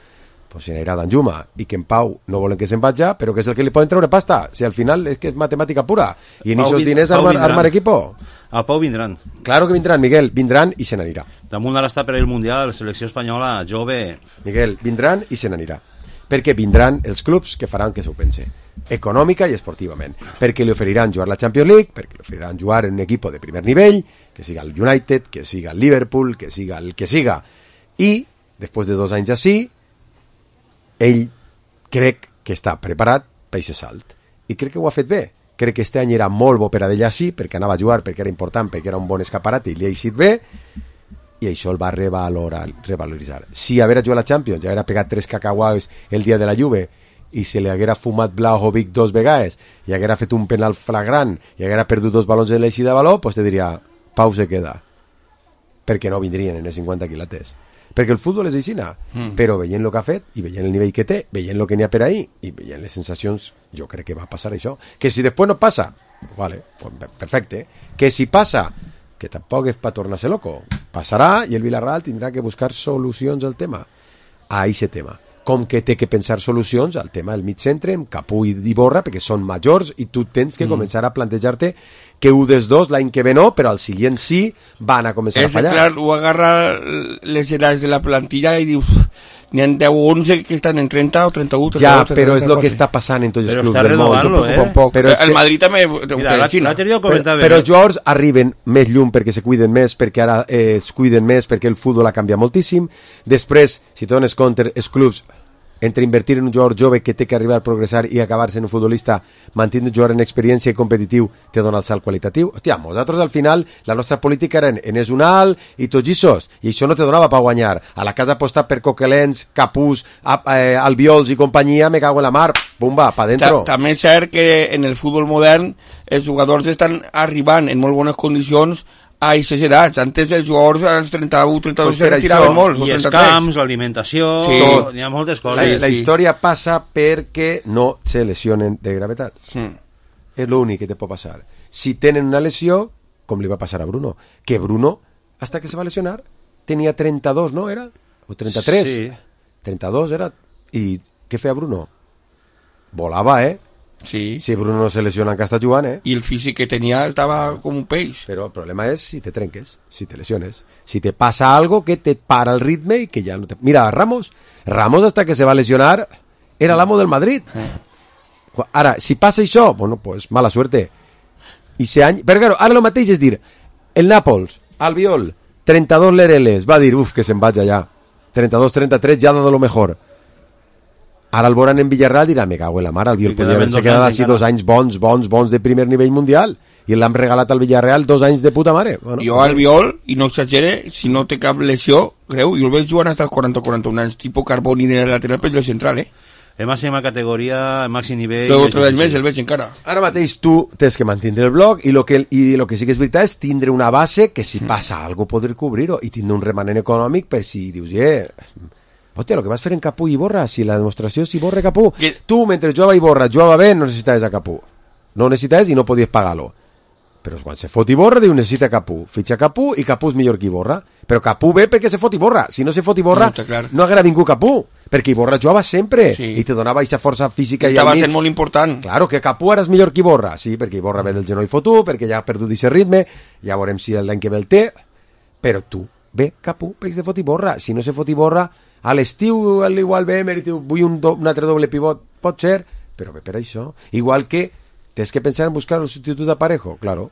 pues se n'anirà Danjuma, i que en Pau no volen que se'n vagi, però que és el que li poden treure pasta. Si al final és que és matemàtica pura, i en aquests diners armar equipo. A Pau vindran. Claro que vindran, Miguel, vindran i se n'anirà. Damunt ara està per el Mundial, la selecció espanyola, jove. Miguel, vindran i se n'anirà. Perquè vindran els clubs que faran que s'ho pense, econòmica i esportivament, perquè li oferiran jugar la Champions League, perquè li oferiran jugar en un equip de primer nivell, que siga el United, que siga el Liverpool, que siga el que siga, i després de 2 anys així ell crec que està preparat per aquest salt, i crec que ho ha fet bé. Crec que este any era molt bo per a ell així, perquè anava a jugar, perquè era important, perquè era un bon escaparat i li ha eixit bé, i això el va revaloritzar. Si haguera jugat la Champions, ja haguera pegat 3 cacauaus el dia de la Juve i se li haguera fumat Blajovic 2 vegades i haguera fet un penal flagrant i haguera perdut 2 balons en l'eixida de baló, pues te diria, Pau se queda, perquè no vindrien en els 50 quilates, perquè el futbol és aixina, però veient el que ha fet i veient el nivell que té, veient el que n'hi ha per ahí i veient les sensacions, jo crec que va passar això. Que si després no passa, vale, pues perfecte, que si passa, que tampoc és per tornar-se loco, passarà i el Villarreal tindrà que buscar solucions al tema, a aquest tema, com que té que pensar solucions al tema del mig centre amb Capú i Iborra, perquè són majors i tu tens que començar a plantejar-te que un dels dos l'any que ve no, però al següent sí van a començar a fallar. Clar, ho agarra les edats de la plantilla i dius, n'hi ha 10 o 11 que estan en 30 o 31. Ja, però és el que està passant en tots els clubs del món. Però el Madrid també... Però els jugadors arriben més llum perquè se cuiden més, perquè ara es cuiden més, perquè el futbol ha canviat moltíssim. Després, si te dones compte, els clubs, entre invertir en un jugador jove que té que arribar a progressar i acabar sent un futbolista, mantint un jugador en experiència i competitiu, te dona el salt qualitatiu. Hòstia, nosaltres al final, la nostra política era en és un alt i tots issos, i això no te donava per guanyar. A la casa apostar per Coquelens, Capús, Albiols i companyia, me cago en la mar, bumba, pa dentro. També és cert que en el futbol modern els jugadors estan arribant en molt bones condicions a aquestes edats. Antes els jugadors als 31, 32 se retiraven molt. I els camps, l'alimentació, n'hi ha moltes coses. La història passa perquè no se lesionen de gravetat. És l'únic que te pot passar. Si tenen una lesió, com li va passar a Bruno, que Bruno, hasta que se va lesionar, tenia 32, no era? O 33? Sí. 32 era. I què feia Bruno? Volava, Sí. Si Bruno no se lesiona en que està jugant, I el físic que tenia estava com un peix. Però el problema és si te trenques, si te lesiones, si te passa algo que te para el ritme i que ja no te... Mira, Ramos hasta que se va lesionar era l'amo del Madrid. Ara, si passa això, bueno, pues mala suerte. I però claro, ara el mateix és dir, el Nàpols, Albiol, 32 Lereles, va dir, que se'n vaig allà. 32-33 ja ha dado lo mejor. Ara el veuran en Villarreal dirà, me cago en la mar, Albiol podria haver-se quedat així 2 anys bons de primer nivell mundial i l'han regalat al Villarreal 2 anys de puta mare. Bueno, jo Albiol, i no exagere, si no té cap lesió greu, jo el veig jugant fins als 40-41 anys, tipus Carboni en el lateral per el central, En màxima categoria, en màxim nivell... Però otro del mes el veig encara. Ara mateix tu tens que mantindre el bloc i lo que sí que és veritat és tindre una base que si passa algo poder cobrir-ho i tindre un remanent econòmic per si dius, hòstia, el que vas fer en Capú i Iborra, si la demostració és Iborra i Capú, tu mentre jugava Iborra jugava bé, no necessitaves a Capú, no necessitaves i no podies pagar-lo, però quan se fot Iborra diu necessita Capú, fitxa Capú i Capú és millor que Iborra, però Capú ve perquè se fot Iborra, si no se fot Iborra no haguera vingut Capú, perquè Iborra jugava sempre i te donava aquesta força física i estava sent molt important. Claro, que Capú ara és millor que Iborra, sí, perquè Iborra ve del genoll fotut, perquè ja ha perdut aquest ritme, ja veurem si l'any que ve el té, però tu, ve Capú, perquè se fot Iborra, si no se fot Iborra, a l'estiu igual ve Emery, vull un altre doble pivot, pot ser, però ve per això, igual que tens que pensar en buscar el substitut de Parejo, claro,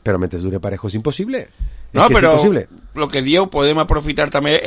però mentre dure Parejo és impossible. No, però el que dieu, podem aprofitar també,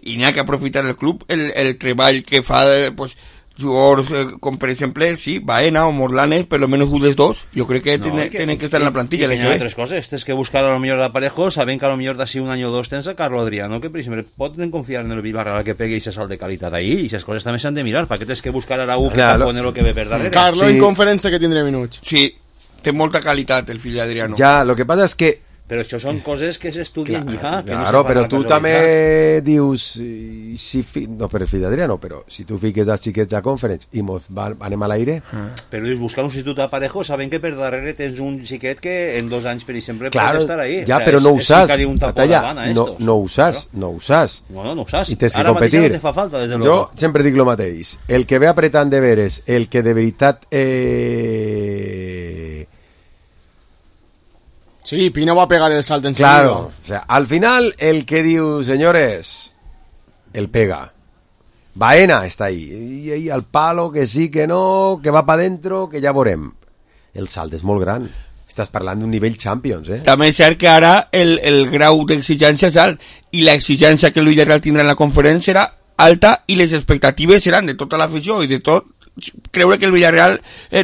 i n'hi ha que aprofitar el club, el treball que fa pues, jugadors com per exemple, sí, Baena o Morlanes, per lo menos un dels dos, jo crec que tenen que estar en la plantilla. Y hay otras cosas, es que buscar a lo mejor a Parejo, saben que a lo mejor de así un año o dos tens a Carlo Adriano, que primero poden confiar en el Villarreal que pegue y se sal de calidad ahí, y esas cosas també s'han de mirar, perquè tens que buscar a Araú que tapone lo que ve per darrere. Carlo en conferència que tindré minuts. Sí, té molta qualitat el fill d'Adriano. Ja, lo que passa és que però això són coses que s'estudien ja. Que claro, no però tu també dius no, però fill d'Adriano, però si tu fiques els xiquets a conference i anem a l'aire però dius, buscar un substitut a Parejo saben que per darrere tens un xiquet que en 2 anys per exemple claro, pot estar ahí ja, o sea, però no ho saps no ho saps i tens que ara competir mateix no te fa falta, desde jo luego. sempre dic lo mateix, el que ve apretant de veres, el que de veritat sí, Pino va a pegar el salto en claro, o sea, al final el que diu, señores, el pega. Baena está ahí, y al palo, que sí, que no, que va para dentro, que ja veurem. El salt és molt gran. Estàs parlant d'un nivell Champions, També és cert que ara el grau d'exigència és alt, i l'exigència que el Villarreal tindrà en la conferència serà alta, i les expectatives seran de tota l'afició i de tot creure que el Villarreal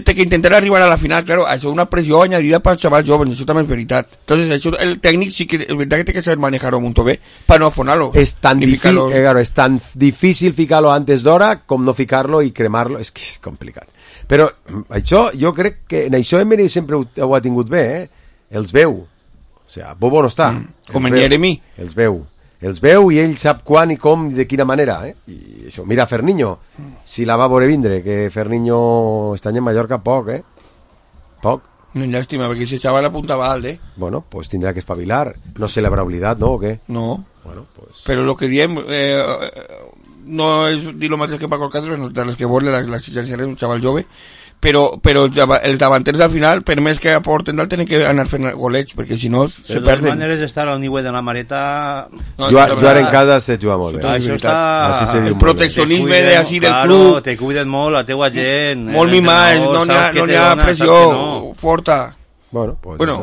té que intentar arribar a la final, claro, això és una pressió añadida per als xavals joves, això també és veritat. Entonces, això, el tècnic sí que és veritat que té que saber manejar-ho molt bé per no afonar-lo. És tan difícil ficar-lo antes d'hora com no ficar-lo i cremar-lo, és que és complicat. Però això, jo crec que en això Emery sempre ho ha tingut bé, els veu. O sigui, Bobo no està. Com en Jeremy. Els veu i ell sap quan i com i de quina manera, i això, mira Ferniño, si la va veure vindre, que Ferniño està en Mallorca poc, poc. No, llàstima, perquè si xaval apuntava alt, Bueno, pues tindrà que espavilar, no se l'haurà oblidat, no, o què? No, bueno, pues... però el que diem no és dir el mateix que Paco Alcácer, de les que vol l'exigència és un xaval jove, però els davanters al final, per més que aporten dalt, tenen que anar fent golets, perquè si no se perden. De totes maneres, estar al nivell de la Mareta... Jugar en casa se juga molt bé. Això està... El proteccionisme del club... Te cuiden molt, la teua gent... Molt mimat, no n'hi ha pressió forta. Bueno,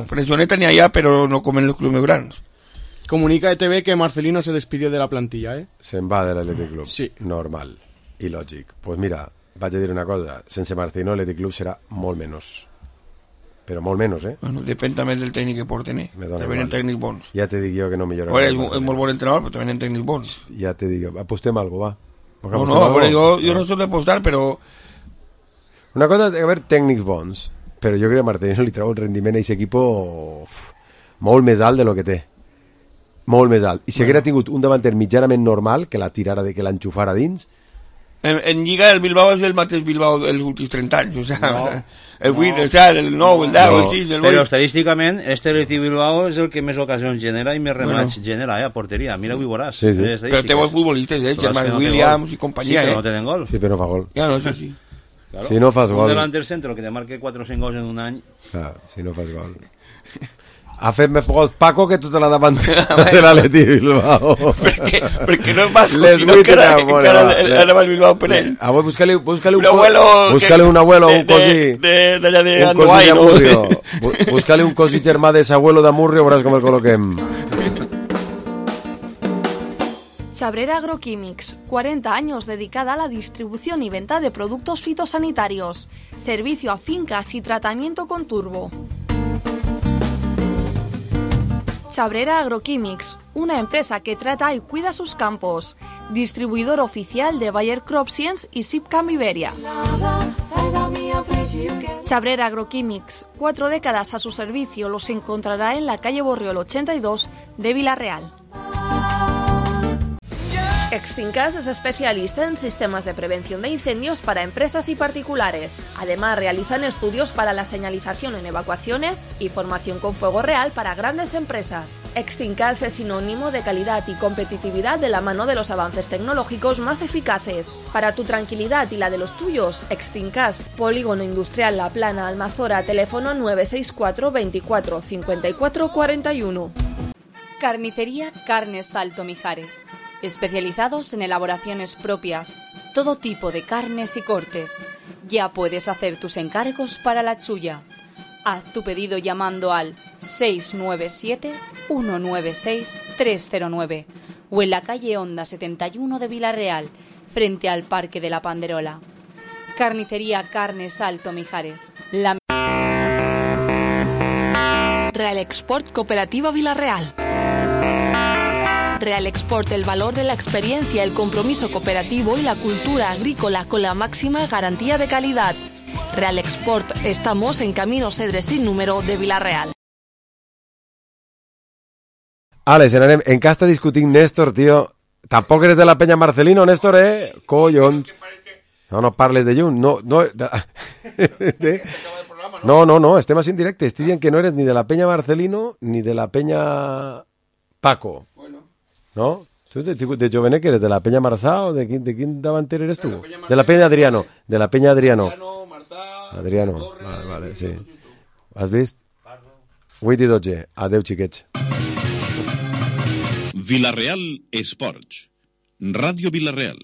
pressioneta n'hi ha, però no com en els clubs més grans. Comunica ETV que Marcelino se despidió de la plantilla, Se'n va de l'Athletic Club. Sí. Normal i lògic. Pues mira... vaig a dir una cosa, sense Marcelino l'Athletic Club serà molt menys, però molt menys, Bueno, depèn també del tècnic que porten, Venen tècnics bons. Ja te dic jo que no millora. És molt bon entrenador, però també venen tècnics bons. Ja te dic jo, apostem algo, va. Jo no soc d'apostar, però... Una cosa, a veure, tècnics bons, però jo crec que a Marcelino li treu el rendiment a aquest equip molt més alt de lo que té. Molt més alt. I si haguera tingut un davanter mitjanament normal, que la tirara, que l'enxufara dins... En Lliga el Bilbao és el mateix Bilbao dels últims 30 anys, o sea, el 8, el 7, el 9, el 10, el 6, el 8. Però estadísticament, este Athletic Bilbao és el que més ocasions genera i més remats genera, a porteria. Mira, ho veuràs. Sí. Però té bons futbolistes, Germán Williams i companyia, Sí, però no tenen gol. Sí, però no fa gol. Ja, no, això sí. Claro. Si no fas gol... Un delanter centro que te marque 4 o 5 gols en un any... Si no fas gol... Ha fet més gols Paco que tota la davantera de l'Atleti Bilbao. Perquè no és basco, sinó que ara va el Bilbao per ell. A vos búscale un abuelo, un cosí. D'allà de Andoai, no? Búscale un cosí germà de s'abuelo d'Amurrio, veuràs com el col·loquem. Chabrera Agroquímics, 40 años dedicada a la distribución y venta de productos fitosanitarios. Servicio a fincas y tratamiento con turbo. Chabrera Agroquímics, una empresa que trata y cuida sus campos. Distribuidor oficial de Bayer CropScience y Sipcam Iberia. Chabrera Agroquímics, 4 décadas a su servicio, los encontrará en la calle Borriol 82 de Villarreal. Extincas es especialista en sistemas de prevención de incendios para empresas y particulares. Además, realizan estudios para la señalización en evacuaciones y formación con fuego real para grandes empresas. Extincas es sinónimo de calidad y competitividad de la mano de los avances tecnológicos más eficaces. Para tu tranquilidad y la de los tuyos, Extincas, Polígono Industrial La Plana, Almazora, teléfono 964 24 54 41. Carnicería Carnes Salto Mijares. Especializados en elaboraciones propias, todo tipo de carnes y cortes. Ya puedes hacer tus encargos para la chulla. Haz tu pedido llamando al 697-196-309 o en la calle Honda 71 de Vilarreal, frente al Parque de la Panderola. Carnicería Carnes Salto Mijares. Real Export Cooperativa Vilarreal. Real Export, el valor de la experiencia, el compromiso cooperativo y la cultura agrícola con la máxima garantía de calidad. Real Export, estamos en Camino Cedres sin número de Vilarreal. Alex, en què està discutint Néstor, tio? Tampoc eres de la Peña Marcelino, Néstor, Collons. No parles de lluny. No, estem així en directe. Estic dient que no eres ni de la Peña Marcelino ni de la Peña Paco. ¿No? ¿Tú de jovenet que eres de la Peña Marsá o de quién davanter eres tú? De la Peña Adriano. De la Peña Adriano. Adriano. Vale, sí. Has vist? 8 i 12. Adeu, xiquets. Vilarreal Esports. Ràdio Vilarreal.